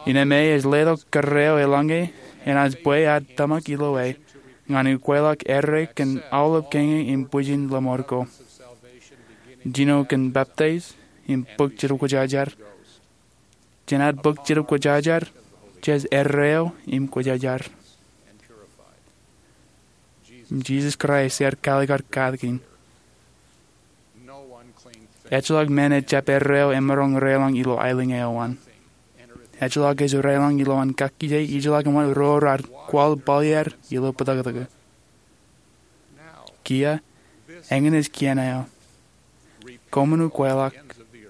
Innām e ej letok kōrā eo eḷaññe enaaj bwe ad tōmak ilo e ñan ukweḷọk erreo kōn aolep keñe im bwijin lọmọọr ko. Jino kōn peptaij im bōk Jetōb Kwōjarjar. Jān ad bōk Jetōb Kwōjarjar, jej erreo im kwōjarjar. Jisōs Kraist ear kaalikkar katakin. Ejjeḷọk men ejjab erreo emaroñ reḷọñ ilo aelōñ eo an. Ejjeḷọk ej reḷọñ ilowaan kakkije ijeḷọk eṃṃan ro raar kwaḷ bōlier ilo bōtōktōk. Kiiō, eñin ej kien eo. Koṃwin ukweḷọk,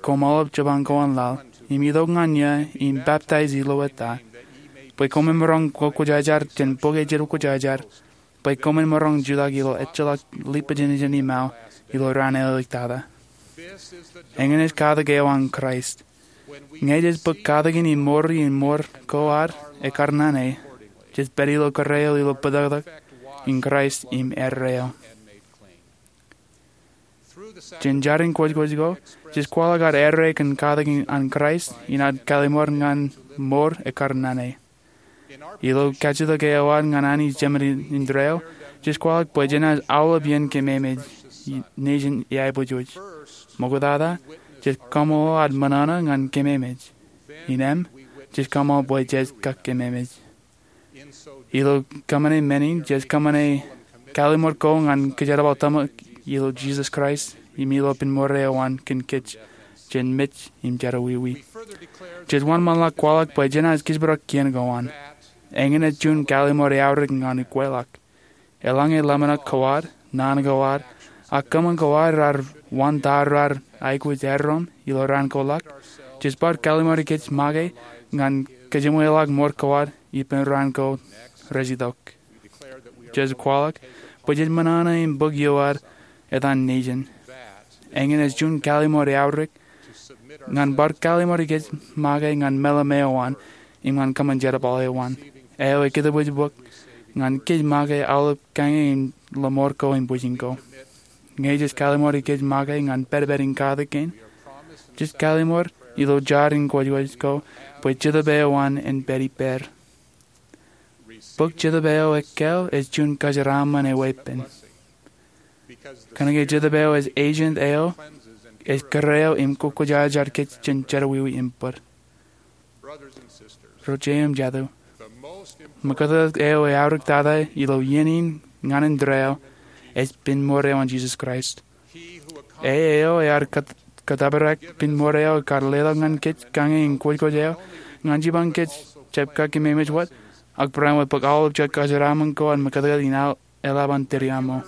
koṃ aolep jeban ko an laḷ, im itok ñan iiō im peptaij ilo eta, bwe koṃwin maroñ kwōjarjar jān bok eo Jetōb Kwōjarjar, bwe koṃwin maroñ jutak ilo ejjeḷọk lipajinijin im aō ilo raan āliktata. Eñin ej katak eo an Kraist. Ñe jej bōk katakin im mour in mour ko ad ekkar naan e, jej pād ilo kōrā eo ilo bōtōktōk in Kraist im erreo. Jān jar in kwōjkwōj ko, jej kwaḷọk ad erreo kōn katakin an Kraist in ad kallimur ñan mour ekkar naan e. Ilo kajjitōk eo ad ñan Anij Jemān indeeo, jej kwaḷọk bwe jenaaj aolep iien kememej nejin eaibojoj. Ṃoktata, jej kaṃṃoolol ad ṃōṇōṇō ñan kememej. Innām, jej kaṃṃoolol bwe jej kememej. Ilo kōṃṃane men in, jej kōṃṃane kallimur ko ñan kōjerbal tōmak ilo Jisōs Kraist im ilo pen mour eo an kōn kōj jān mej im jerọwiwi. Jej wōnṃaanḷọk kwaḷọk bwe jenaaj kōjparok kien ko an. Eñin ej juon kallimur eaorōk ñan ukweḷọk. Eḷaññe ḷōmṇak ko ad, naan ko ad, ak kōṃṃan ko ad raar waan ta raar aikuj erreo ilo raan ko ḷọk, jej bar kallimur kōj make ñan kajeṃweḷọk mour ko ad ippān raan ko rej itok. Jej kwaḷọk bwe jej ṃōṇōṇō im bōk ioer etan nejin. Eñin ej juon kallimur eaorōk ñan bar kallimur kōj make ñan meḷeḷe eo an im ñan kōṃṃan jerbal eo an. Eo eketōbōj bōk ñan kōj make aolep kañe in lọmọọr ko im bwijin ko. Ñe jej kalimur ikōj make ñan pedped in katak kein, jej kalimur ilo jar in kwōjkwōj ko bwe Jetōb eo an en pād ippāer. Bōk Jetōb eo ekkāāl ej juon kōjeraaṃṃan eweeppān. Kōnke Jetōb eo ej agent eo ej kōrā eo im kwōjarjar kōj jān jerọwiwi im bōd. Ro jeiū im jatū, ṃōkatdikdik eo eaorōk tata ilo iien in ñan indeeo ej pinmour eo an Jisōs Kraist. E eo ear kōt- kōttōpar pinmour eo kar letok ñan kōj kañe in kwōjkwōj eo ñan jipañ kōj jab kakkememej wōt, ak barāinwōt bōk aolep jet kōjeraaṃṃan ko an ṃōkatdikdik in eḷap an tōdiaṃo.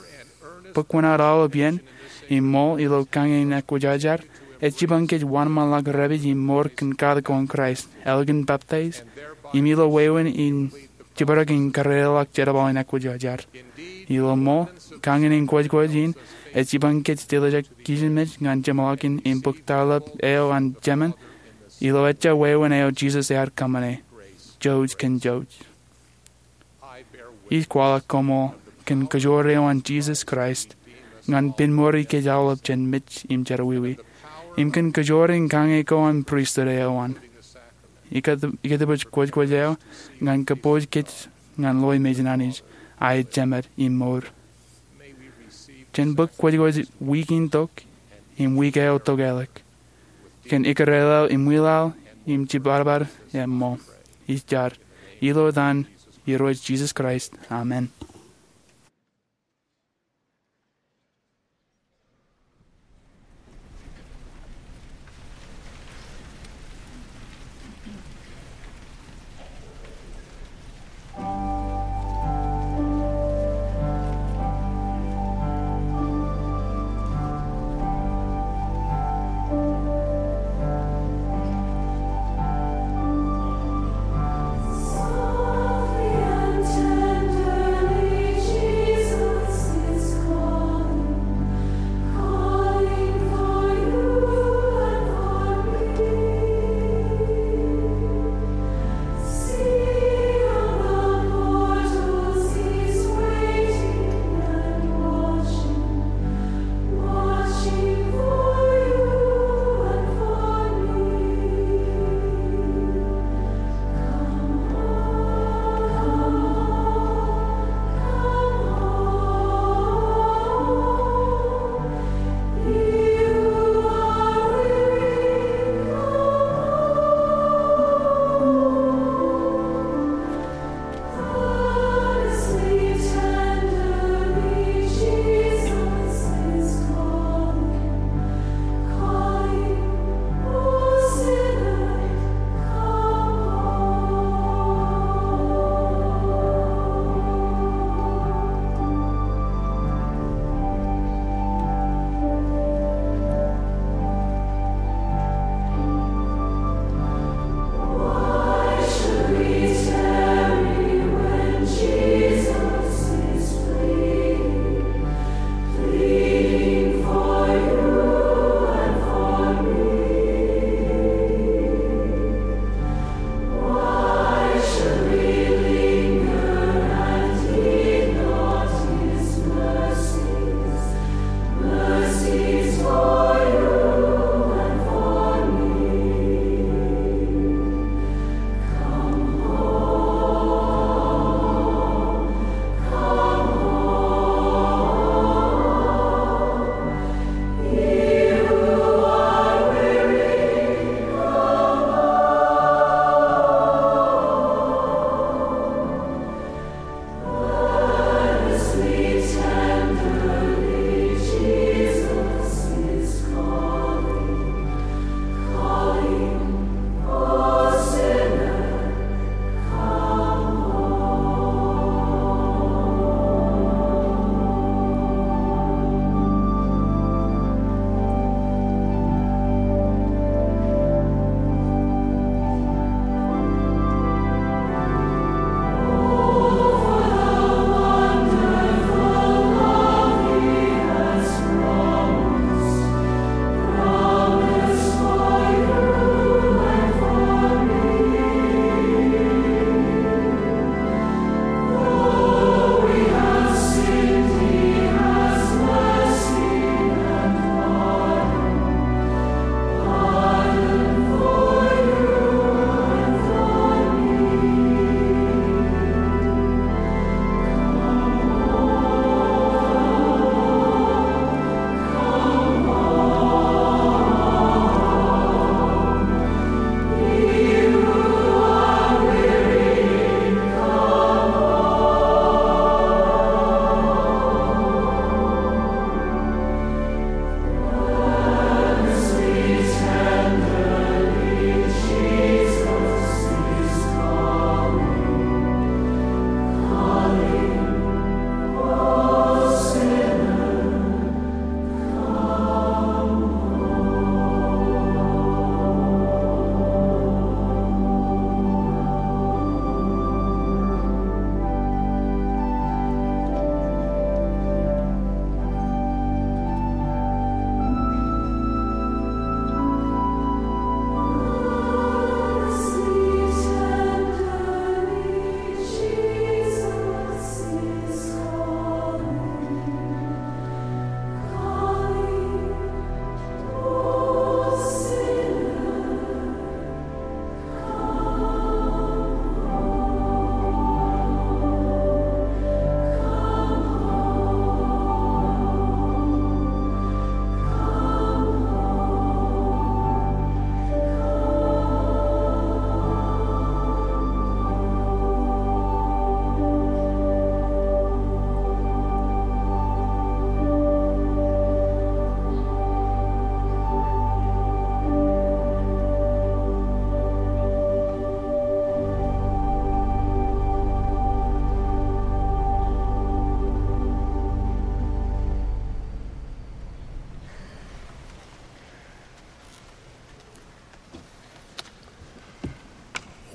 Bōk wōṇāān aolep iien im ṃool ilo kañe in ekwōjarjar ej jipañ kōj wōnṃaanḷọk dāpij im mour kōn katak ko an Kraist, ālikin baptize, im ilo wāween in jibadek in kōrā ḷọk jerbal in ekwōjarjar. Ilo ṃool, kañe in kwōjkwōj in ej jipañ kōj deḷọñtok kijenmej ñan jeṃḷọkin im bōk tarlap eo an jemān ilo ejja wāween eo Jisōs ear kōṃṃane, jouj kōn jouj. Ij kwaḷọk koṃṃool kōn kōjoor eo an Jisōs Kraist ñan pinmour ikōj aolep jān mej im jerọwiwi, im kōn kōjoor in kañe ko an pristut eo an. Ikōt- ikōtbōj kwōjkwōj eo ñan kōpooj kōj ñan ḷoe mejān Anij, aō jemed im mour. Jen bōk kwōjkwōj wiik in tok im wiik eo tokālik kōn ikkure ḷọk im ṃwilaḷ im jibadbad im ṃool. Ij jar ilo etan Irooj Jisōs Kraist, amen.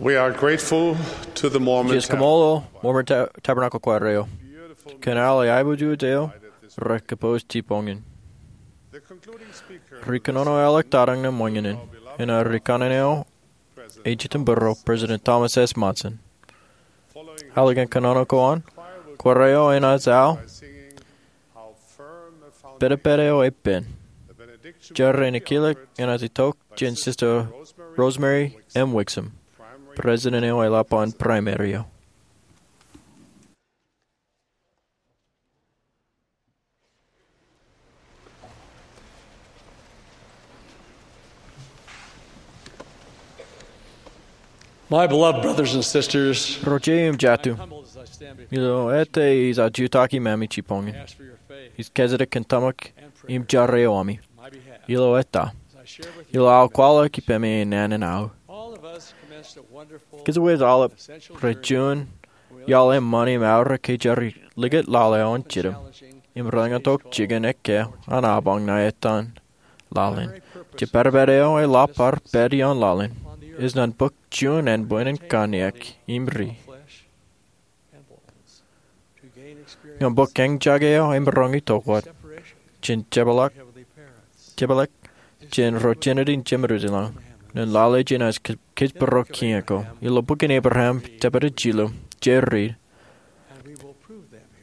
We are grateful to the Mormon Ij kaṃṃoolol Mormon Ta- Tabernacle Choir eo kōn aolep aiboojoj eo rekapos jipañ in. Ri kōnono eo ḷọk tōmak ṇe ṃōñā in, enaaj ri kanaan eo ej jitōnbōro, President Thomas S. Monson. Ālikin kōnono ko an, choir eo enaaj aō Pedeped Eo Epen. Jar in ekilōk enaaj itok jān Sister Rosemary M. Wixom, President eo eḷap an Primary eo. My beloved brothers and sisters, Ro jet im jatū, ilo ettā ij aō jutak ippāmi jipañ in, ij kōjatdikdik kōn tōmak im jar eo ami ilo ettā, ilo aō kwaḷọk ippāmi naan in aō. Kōjwōj aolep rej juon iaḷ eṃṃan im aorōk ke jar likūt lale eo an jitōm im reḷḷāktok jikin ekkā an apañ ṇa etan laḷ in. Jet pedeped eo eḷap ar pād ioon laḷ in ej ñan bōk juon ānbwinnin kanniōk im ri. Ñan bōk eñjake eo emaroñ itok wōt jān jepḷaak, jepḷaak jān ro Jiniti in Jemedwōj ilañ, ñan lale jenaaj ke- kōjparok kiiñ ko. Ilo bok in Ebream, jepta jilu, jej read,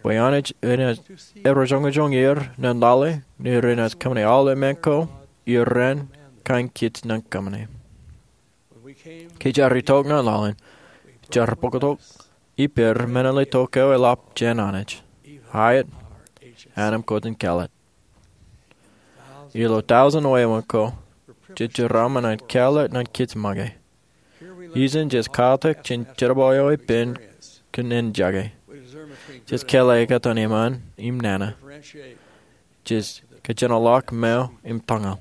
bwe Anij enaaj erojoñojoñ er ñan lale, ñe renaaj kōṃṃane aolep men ko ippān kain kiiō ñan kōṃṃane. Ke jar itok ñan laḷ in, jar bōktok ippān men eo eḷap jān Anij, aet, anemkwōj in kāālōt. Ilo tọujin wāween ko, jej jeraaṃṃan an kāālōt ñan kiiō make. Ijin jej katak jān jerbal eo epen kōn eñjake. Jej kāālōt ekkā etan eṃṃan im nana. Jej kōjenolọk meo im tōñal.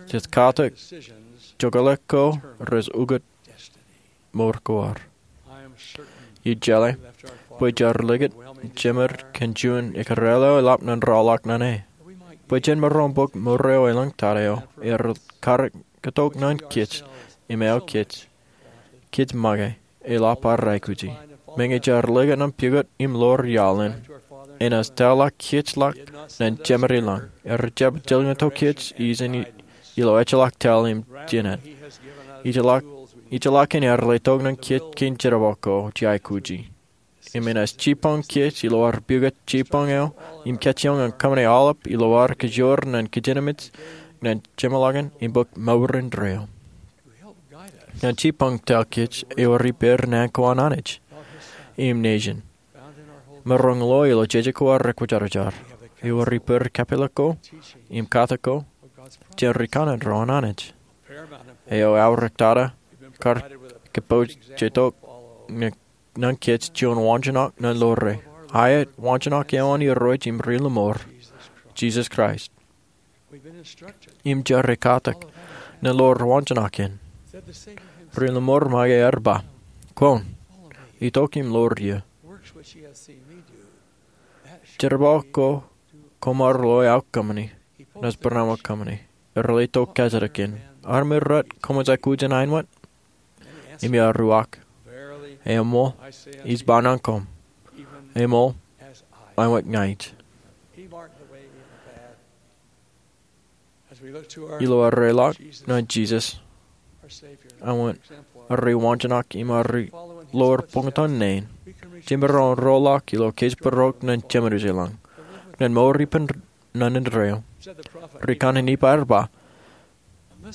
Jej katak jokālik ko rej ukōt mour ko ad. Ij jeḷā bwe jar likūt jemed kōn juon ekōrā eo eḷap ñan rọọlḷọk ñan e, bwe jen maroñ bōk mour eo elōñ tata eo ear karōk tok ñan kōj im eo kōj, kōj make, eḷap ad aikuji. Meñe jar likūt ñan pukot im ḷoor iaḷ in, enaaj tōl kōj ḷọk ñan Jemān ilañ. Ear jab jilkintok kōj ijin ilo ejjeḷọk tōl im jined. Ejjeḷọk, ejjeḷọk in ear letok ñan kōj kein jerbal ko jej aikuji. Im enaaj jipañ kōj ilo ad pukot jipañ eo im kajjioñ ñan kōṃṃane aolep ilo ad kajoor ñan kajinamej ñan jeṃḷọkin im bōk mour indeeo. Ñan jipañ tōl kōj ewōr ippān naan ko an Anij im nejin. Maroñ lo ilo jeje ko rekwōjarjar. Ewōr ippān kapeḷḷọk ko im katak ko jān ri kanaan ro an Anij. Eo aorōk tata kar kōpooj tok ñan kōj juon waanjoñak ñan ḷoore. Aet, waanjoñak eo an Irooj im Ri-Lōṃor, Jisōs Kraist. Im jar ekatak ñan ḷoor waanjoñak in. Ri-Lōṃor make ear ba, "Kwōn itok im ḷoor ie. Jerbal ko koṃ ar lo aō kōṃṃani, naaj barāinwōt kōṃṃani." Ear letok kōjatdikdik in, "Armej rej kōṃṃan aikuj in āinwōt?" Im ear uwaak, "Eṃṃool, ij ba ñan koṃ, eṃṃool, āinwōt ña ij." Ilo ad reḷak ñan Jisōs, āinwōt ad waanjoñak im ad ḷoor buñtōn naan, jemaroñ roḷọk ilo kōjparok ñan Jemedwōj ilañ, ñan mour ippān ñan indeeo. Ri kanaan Nifai ear ba,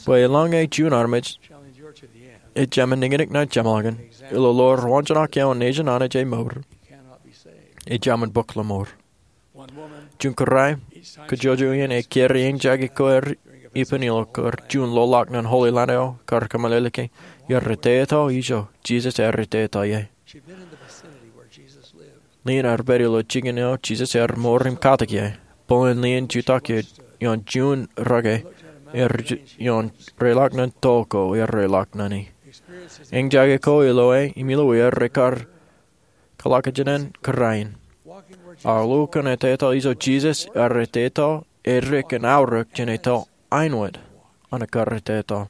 bwe eḷaññe juon armej ejāmin niñniñ ñan jeṃḷọkin ilo ḷoor waanjoñak eo an nejin Anij e mour, ejāmin bōk lōṃor. Juon kōrā, kōjojoj iien e kari eñjake ko er ippān ilo kar juon ḷoḷḷọk ñan Holy Land eo kar kōmeḷeḷeiki, ear etetal ijo, Jisōs ear etetal ie. Lien ear pād ilo jikin eo Jisōs ear mour im katak ie. Bōlen lien jutak ie ioon juon rōke, ear ioon reḷak ñan toḷ ko ear reḷak ñan e. Eñjake ko ilo e im ilo er rekar kōḷakajenen kōrā in. Aoluk an etetal ijo Jisōs ear etetal, edik kōn aorōk jān etal āinwōt an ekkar etetal.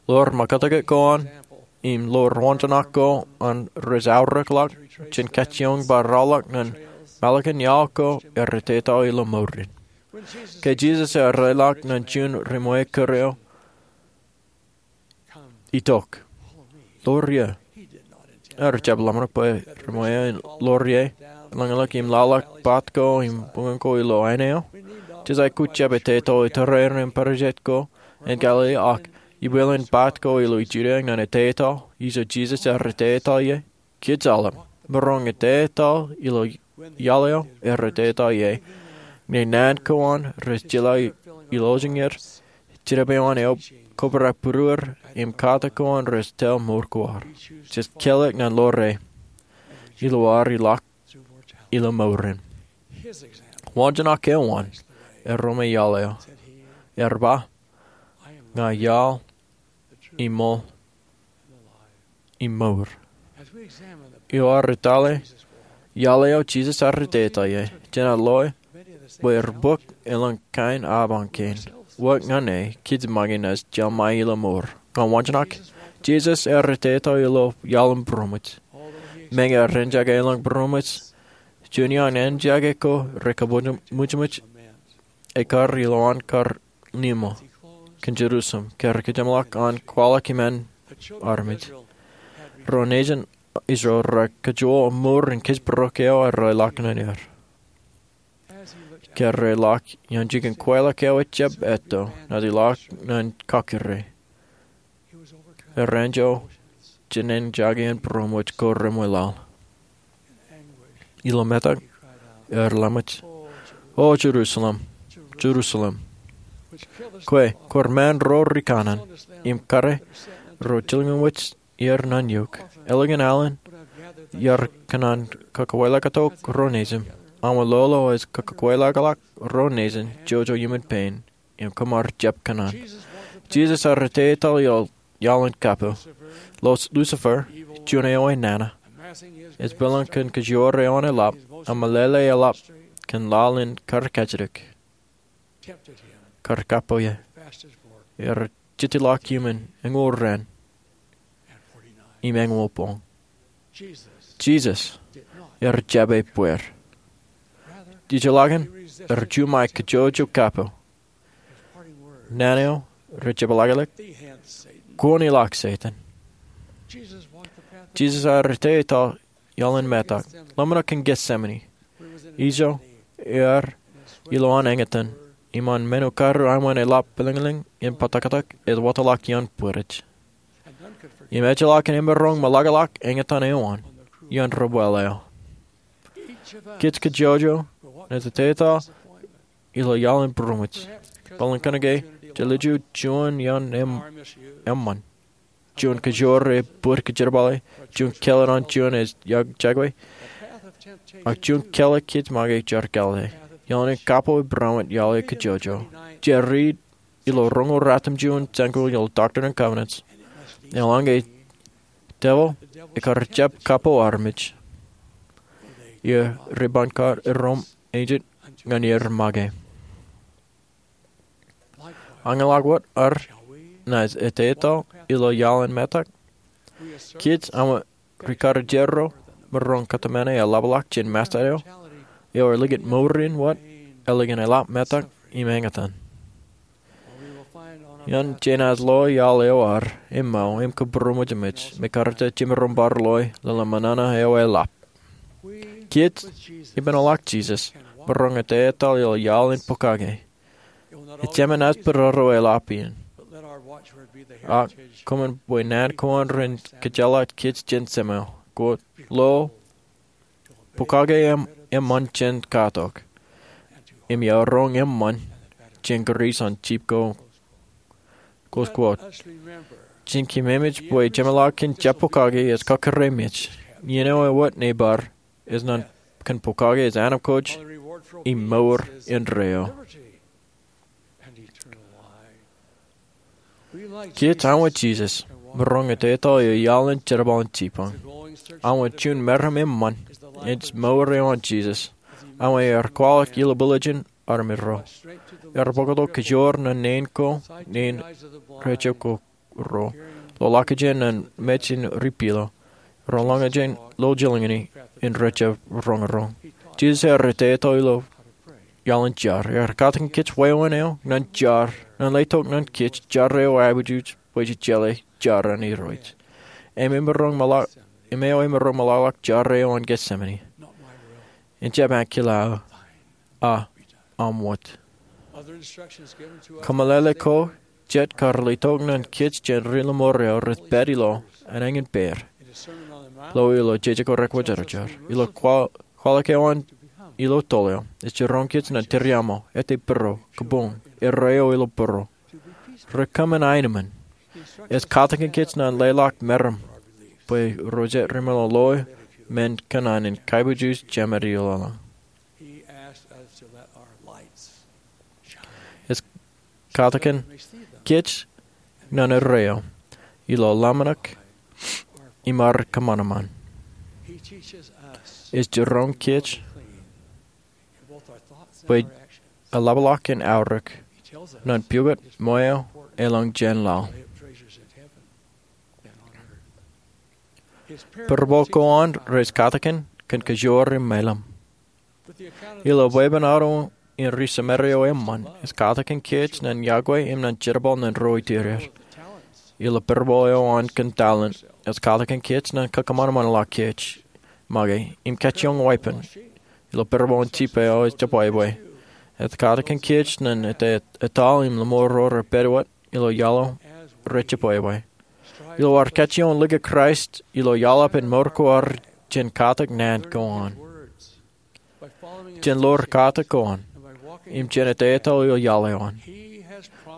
Lor makātkāt ko an im lor waanjoñak ko an rej aorōkḷọk jān kajjioñ bar raorōk ñan mālōkin iaḷ ko errā teta ilo mour in. Ke Jisōs ear leḷọk ñan juon ri-ṃweo kōrā eo, "Itok, ḷoor ie," ear jab ḷōmṇak bwe ri-ṃweo in ḷoor ie, lōñḷọk im laḷọk paat ko im buñūn ko ilo āne eo. Jej aikuj jab eteto iturerein pād jet ko an Galili, ak ibwilen paat ko ilo Judia ñan eteto ijo Jisōs errā teta ie. Kōj aolep, maroñ eteto ilo iaḷ eo errā teta ie, ñe naan ko an rej jeḷā ilọjiñ er, jerbal eo an eobrak būruer, im katak ko an rej tōl mour ko ad. Jej kālōk ñan ḷoor e ilo ad ilọk ilo mour in. Waanjoñak eo an erro me iaḷ eo. Ear ba, "Ña iaḷ, im ṃōl, im mour." Eo ad etale iaḷ eo Jisōs errā teta ie, jenaaj loe bwe ri-bōk elōñ kain apañ kein. Wōt ñan e, kōj make naaj jelṃae ilo mour. Ñan waanjoñak, Jisōs errā teta ilo iaḷ im būroṃōj. Meñe ear enjake elōñ būroṃōj, juon iaan enjake ko rekabūroṃōj ekar ilowaan kar nimo kōn Jerusalem, kar kajeṃḷọk an kwaḷọk iṃaan armej. Ro nejin Israel rekajoor mour in kōjparok eo ear leḷọk ñan er. Ke ear leḷọk iaan jikin kweilọk eo ejjab etto, naaj ilọk ñan kakōrā. Ear enjeḷ jān enjake in būroṃōj ko reṃwilaḷ. Ilo metak ear ḷōmṇak, "O Jerusalem, Jerusalem, kwe kwōj ṃaan ro rikaṇan im kare ro jilkinwōj er ñan eok. Ālikin alen iar kōṇaan kakweilọktok ro nejin, aṃ lolo ej kakweilọkḷọk ro nejin jojo iuṃwin pein im kōṃar jab kōṇaan." Jisōs errā teta ilo iaḷ in kapo. Lucifer, juon eo enana, ej bōlen kōn kajoor eo an eḷap, im meḷeḷe eḷap kōn laḷ in kar kajjitōk, kar kapo ie. Ear jitḷọk iuṃwin eñoul raan im eñoul boñ. Jisōs ear jab ebbeer. Ijellọkin ear juṃae kajjojo kapo. Naan eo rej jepḷaakḷọk, "Kwōn ilọk, Setan." Jisōs errā teta iaḷ in metak, ḷōmṇak in Getsemane, ijo ear ilowaan eñtaan, im an men ko kar aṃ wōn eḷap pilingiling im bōtōktōk ej wōtlọk iaan bwidej. Im ejjeḷọk in emaroñ meḷọkḷọk eñtaan eo an iaan ri-bwil eo. Kōj kajjojo naaj eteto ilo iaḷ in būroṃōj. Bōlen kōnke jej liju juon iaan eṃṃan, juon kajoor ej bōd kōjerbale, juon kelọk an juon ej jekwe, ak juon kelọk kōj make jar kāālōt. Iaḷ in kapo ej būroṃōj iaḷ eo kajjojo. Jej riit ilo roñoul ratimjuon jān ko ilo Doctrine and Covenants. Eḷaññe devil ekar jab kapo armej, er rej ban kar erom ejjet ñan er make. Ñe ḷọk wōt, ar naaj eteto ilo iaḷ in metak? Kōj aṃ rikarijero maroñ kōtmāne eḷapḷọk jān Masta eo, eo ej likūt mour in wōt, ālikin eḷap metak im eñtaan. Ian jenaaj loe iaḷ eo ad eṃṃan im kōbūroṃōjmej, me karijjek jemaroñ bar loe lale ṃōṇōṇō eo eḷap. Kōj, ippān ḷọk Jisōs, maroñ eteto ilo iaḷ in pokake. Ejāmin naaj pād ro eḷap in. Ak koṃwin bwe naan ko an ren kōjjeḷā kōj jān Jemem. Quote, "Lo, pokake eṃ-, eṃṃan jān katok, im iaroñ eṃṃan jān kūr eo an jip ko." Close quote. Jen keememej bwe jeṃḷọkin jab pokake ej kakūremej. Iien eo ewōt nebar ej ñan kōn pokake ej anaṃ kōj im mour indeeo. Kōj aṃ wōt Jisōs, maroñ eteto ilo iaḷ in jerbal in jippañ. Aṃ wōt juon meram eṃṃan ej mour eo an Jisōs. Aṃ wōt ear kwaḷọk ilubwiljin armej ro. Ear bōktok kōjoor nōn neen ko, neen rejjab ko ro. Ḷoḷak jān mej in ripilo. Ro lōñjān ilo jilñini in rejjab roñroñ. Jisōs ear etto ilo iaḷ in jar. Ear katakin kōj wāween eo nōn jar, nōn letok nōn kōj jar eo aikuj bwe jej jeḷā jar an Irooj. Im emaroñ ṃōḷa-, im eo emaroñ ṃōḷaḷọk jar eo an Getsemane. Ejjab ankilaaō, a, aṃ wōt. Kōmeḷeḷe ko jet kar letok nōn kōj jān ri lōṃor eo rej pād ilo an eñin peir. Lo ilo jeje ko rekwōjarjar. Ilo kwaḷọk eo an ilo toḷ eo. Ej jiroñ kōj nōn tūriaṃo, ettā būruō, kabuñ, erreo ilo būruō. Ri kōṃṃan aenōṃṃan. Ej katakin kōj nōn leḷọk meram bwe ro jet rimeḷeḷe men kōṇaan in kaibwijin Jemān ilo laḷ. Ej katakin kōj nōn erreo ilo ḷōmṇak im ad kōṃanṃan. Ej jiroñ kōj bwe eḷapḷọk in aorōk nōn pukot, ṃweo, elōñ jān laḷ. Parabole ko an rej katakin kōn kōjoor im mālim. Ilo bwebwenato in ri Samaria eo eṃṃan, ej katakin kōj nōn yokwe im nōn jerbal nōn ro itureer. Ilo parabole eo an kōn talent, ej katakin kōj nōn kakōṃanṃanḷọk kōj make im kajjioñ wāween. Ilo parabole in jipe eo ej jebwābwe, ej katakin kōj nōn etaḷ im lōṃaro rej pād wōt ilo iaḷ eo rej jebwābwe. Ilo ad kajjioñ likūt Kraist ilo iaḷ eo an mour ko ad jān katak naan ko an. Jān ḷoor katak ko an im jān etaetaḷ ilo iaḷ eo an,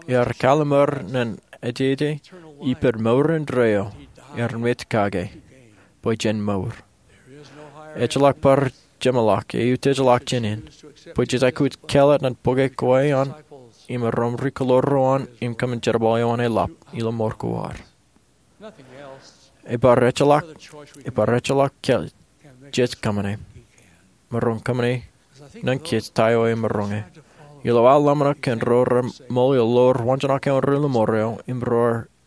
ear kallimur nōn ejjeje ippān mour indeeo ear mej kake bwe jen mour. Ejjeḷọk bar jeṃḷọk eutiejḷọk jān in bwe jej aikuj kāālōt nōn bōke kwe an im erom ri kōḷoor ro an im kōṃṃan jerbal eo an eḷap ilo mour ko ad. Ebar ejjeḷọk, ebar ejjeḷọk kōj jej kōṃṃane. Maroñ kōṃṃane nōn kōj ta eo emaroñe. Ilo aō ḷōmṇak kōn ro reṃool ilo ḷoor wañjānōk eo an ri lōṃor eo im ro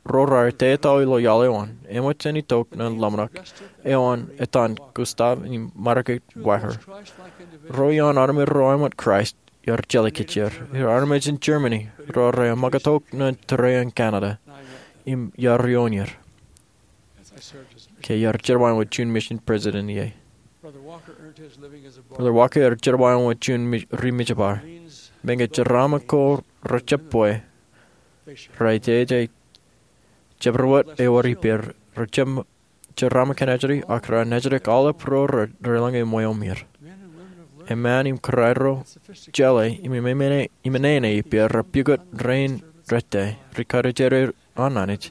ro raar etaetaḷ ilo iaḷ eo an. Eṃōj jān itok nōn ḷōmṇak eo an etan Gustav im Margret Wacker. Ro iaan armej ro āinwōt Kraist, iar jeḷā kōj er. Iar armej in Germany ro rear ṃakūttok nōn tōre in Canada im iar ioon er ke iar jerbal āinwōt juon mission president ie. Brother Wacker ear jerbal āinwōt juon mi-, ri mijepaer. Meñe jeraaṃṃan ko rejjab bwe, raar ejjeḷọk jabdewōt ewōr ippāer, rejjab jeraaṃṃan kōn ajri, ak raar nejdik aolep ro re-, relōñ im ṃweo er. Eṃṃan im kōrā ro jeḷā im, im, im, im eñin ippāer rej pukot rein rejjab, ri karijer an Anij,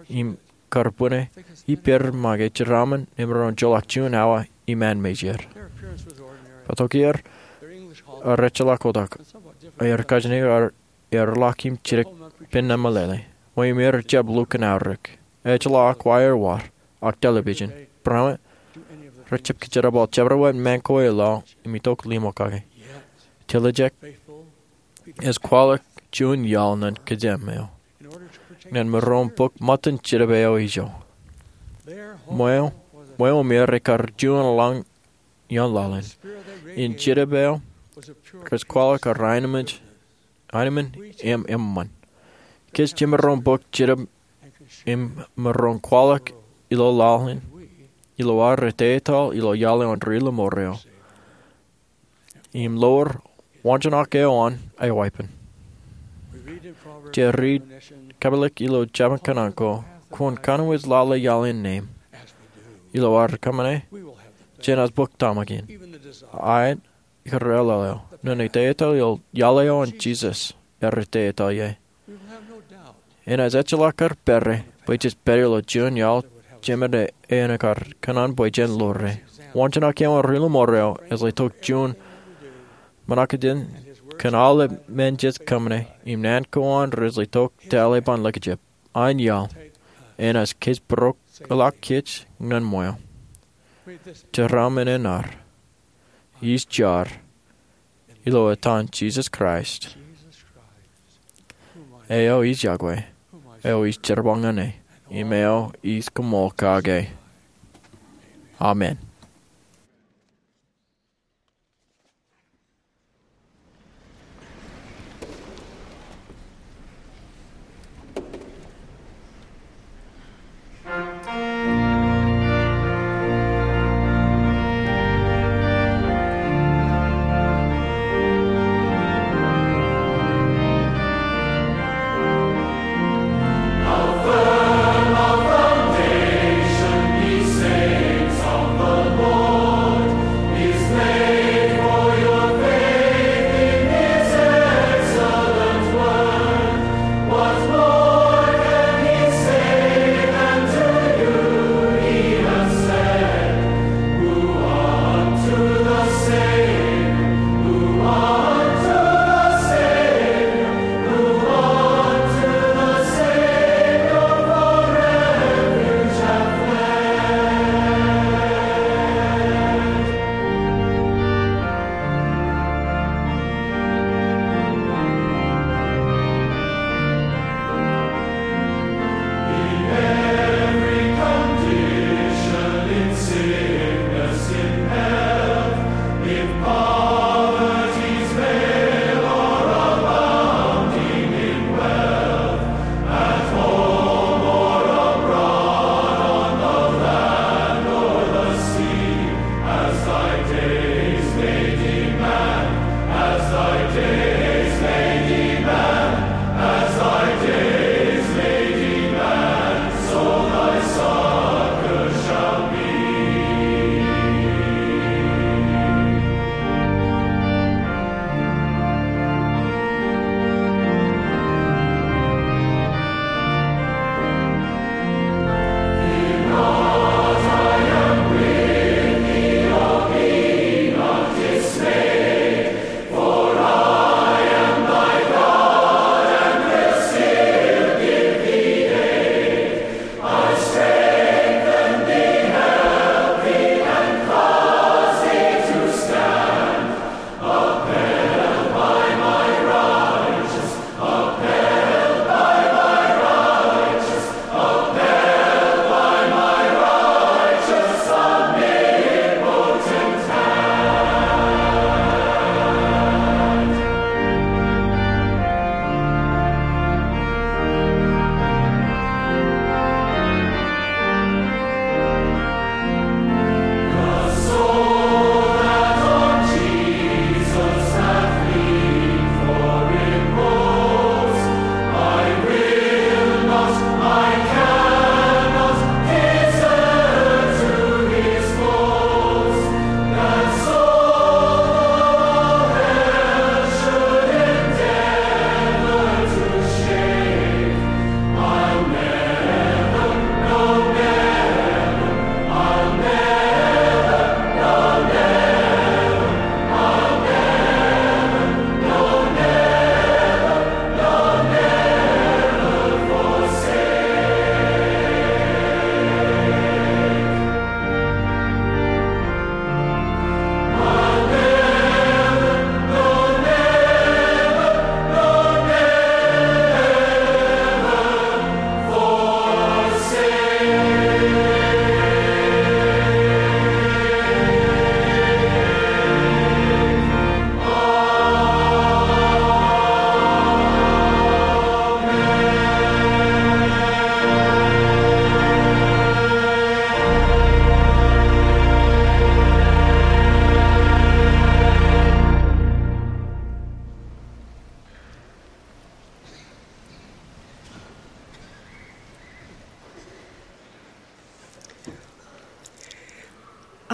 im kar bwine ippāer make jeraaṃṃan im ren joḷọk juon awa iṃaan meijeer. Bōktok er, ear ejjeḷọk kotak, ear kajjien ear, ear ḷak im jidik pen meḷeḷe. Ṃweo er ejjab lukkuun aorōk. Ejjeḷọk wire wōr, ak television. Barāinwōt, rejjab kōjerbal jabdewōt ṃaan ko e laḷ im itok limo kake. Tiljek, ej kwaḷọk juon iaḷ nōn kōjām eo nōn maroñ bōk ṃōttan Jetōb eo ijo. Ṃweo, ṃweo er ekar juon lañ iaan laḷ in. Im Jetōb eo rej kwaḷọk ear aenōṃṃan, aenōṃṃan im eṃṃan. Kōj jemaroñ bōk Jetōb im maroñ kwaḷọk ilo laḷ in ilo ad etaetaḷ ilo iaḷ eo an ri lōṃor eo im ḷoor wañjānōk eo an aō wāween. Jej riit kōpeḷḷọk ilo jabōn kōṇaan ko, kwōn kōnwōj lale iaḷ in neeṃ. Ilo ad kōṃṃane, jen bōk tōmak in, aet, ikōrā ḷọk eo, nōn etaetaḷ ilo iaḷ eo an Jisōs ear etaetaḷ ie. Enaaj ejjeḷọk kar pere bwe jej pād ilo juon iaḷ jemed eo ekar kōṇaan bwe jen ḷoore. Wañjānōk eo an ri lōṃor eo ej letok juon ṃōṇōkajin kōn aolep men jej kōṃṃane im naan ko an rej letok ta ḷe ban likjab. An iaḷ enaaj kōjparok ḷọk kōj ñan ṃweo. Jeraaṃṃan eṇ ad. Ij jar Ilo etan Jisōs Kraist, eo ij iọkwe, eo ij jerbal ñane, im eo ij koṃṃool kake, amen.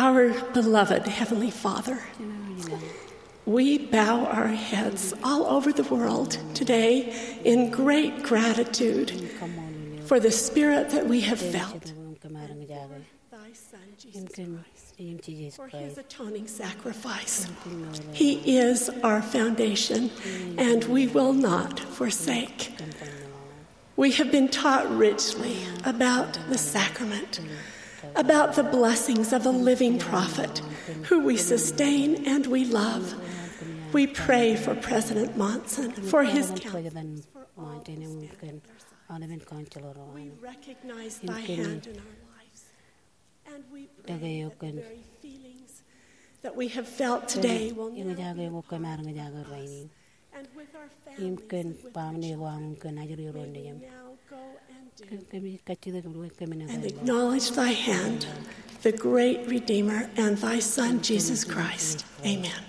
Our beloved Heavenly Father, we bow our heads all over the world today in great gratitude for the Spirit that we have felt. For his atoning sacrifice. He is our foundation, and we will not forsake. We have been taught richly about the sacrament, about the blessings of a living prophet who we sustain and we love. We pray for President Monson, for his council, President Monson im kōn aolepen council ro. We recognize thy hand in our lives. And we pray that the very feelings that we have felt today will never be the last. Im kōn baaṃle ko aṃ im kōn ajri ro nejūṃ. Kōmij kajjitōk im kōmij acknowledge thy hand, the great Redeemer, and thy Son, Jesus Christ. Amen.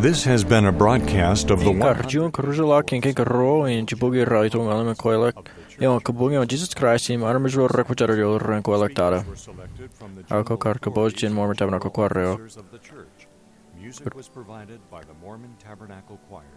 This has been a broadcast of the Im kar juon kōrujḷọk kōn kein kōrā in jibukwi ralitōk ñan aolep men kweilọk eo an Kabuñ eo an Jesus Christ im armej ro rekwōjarjar ilo ren kweilọk tata. Ak kar kōpooj jān Mormon Tabernacle Choir eo. Music was provided by the Mormon Tabernacle Choir.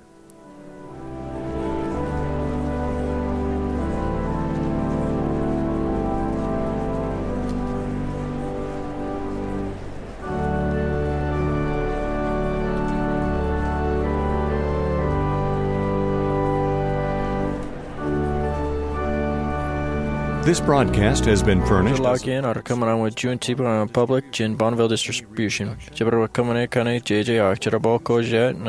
This broadcast has been furnished. Ḷọk in ear kōṃṃan wōt juon tibuk eo an Public jān Bonneville Distribution. Jibwe bwe kōṃṃane kaṇe jeje ak jerbal ko jān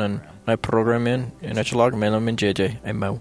ṇa program in, in ejjeḷọk men in jeje. Amen.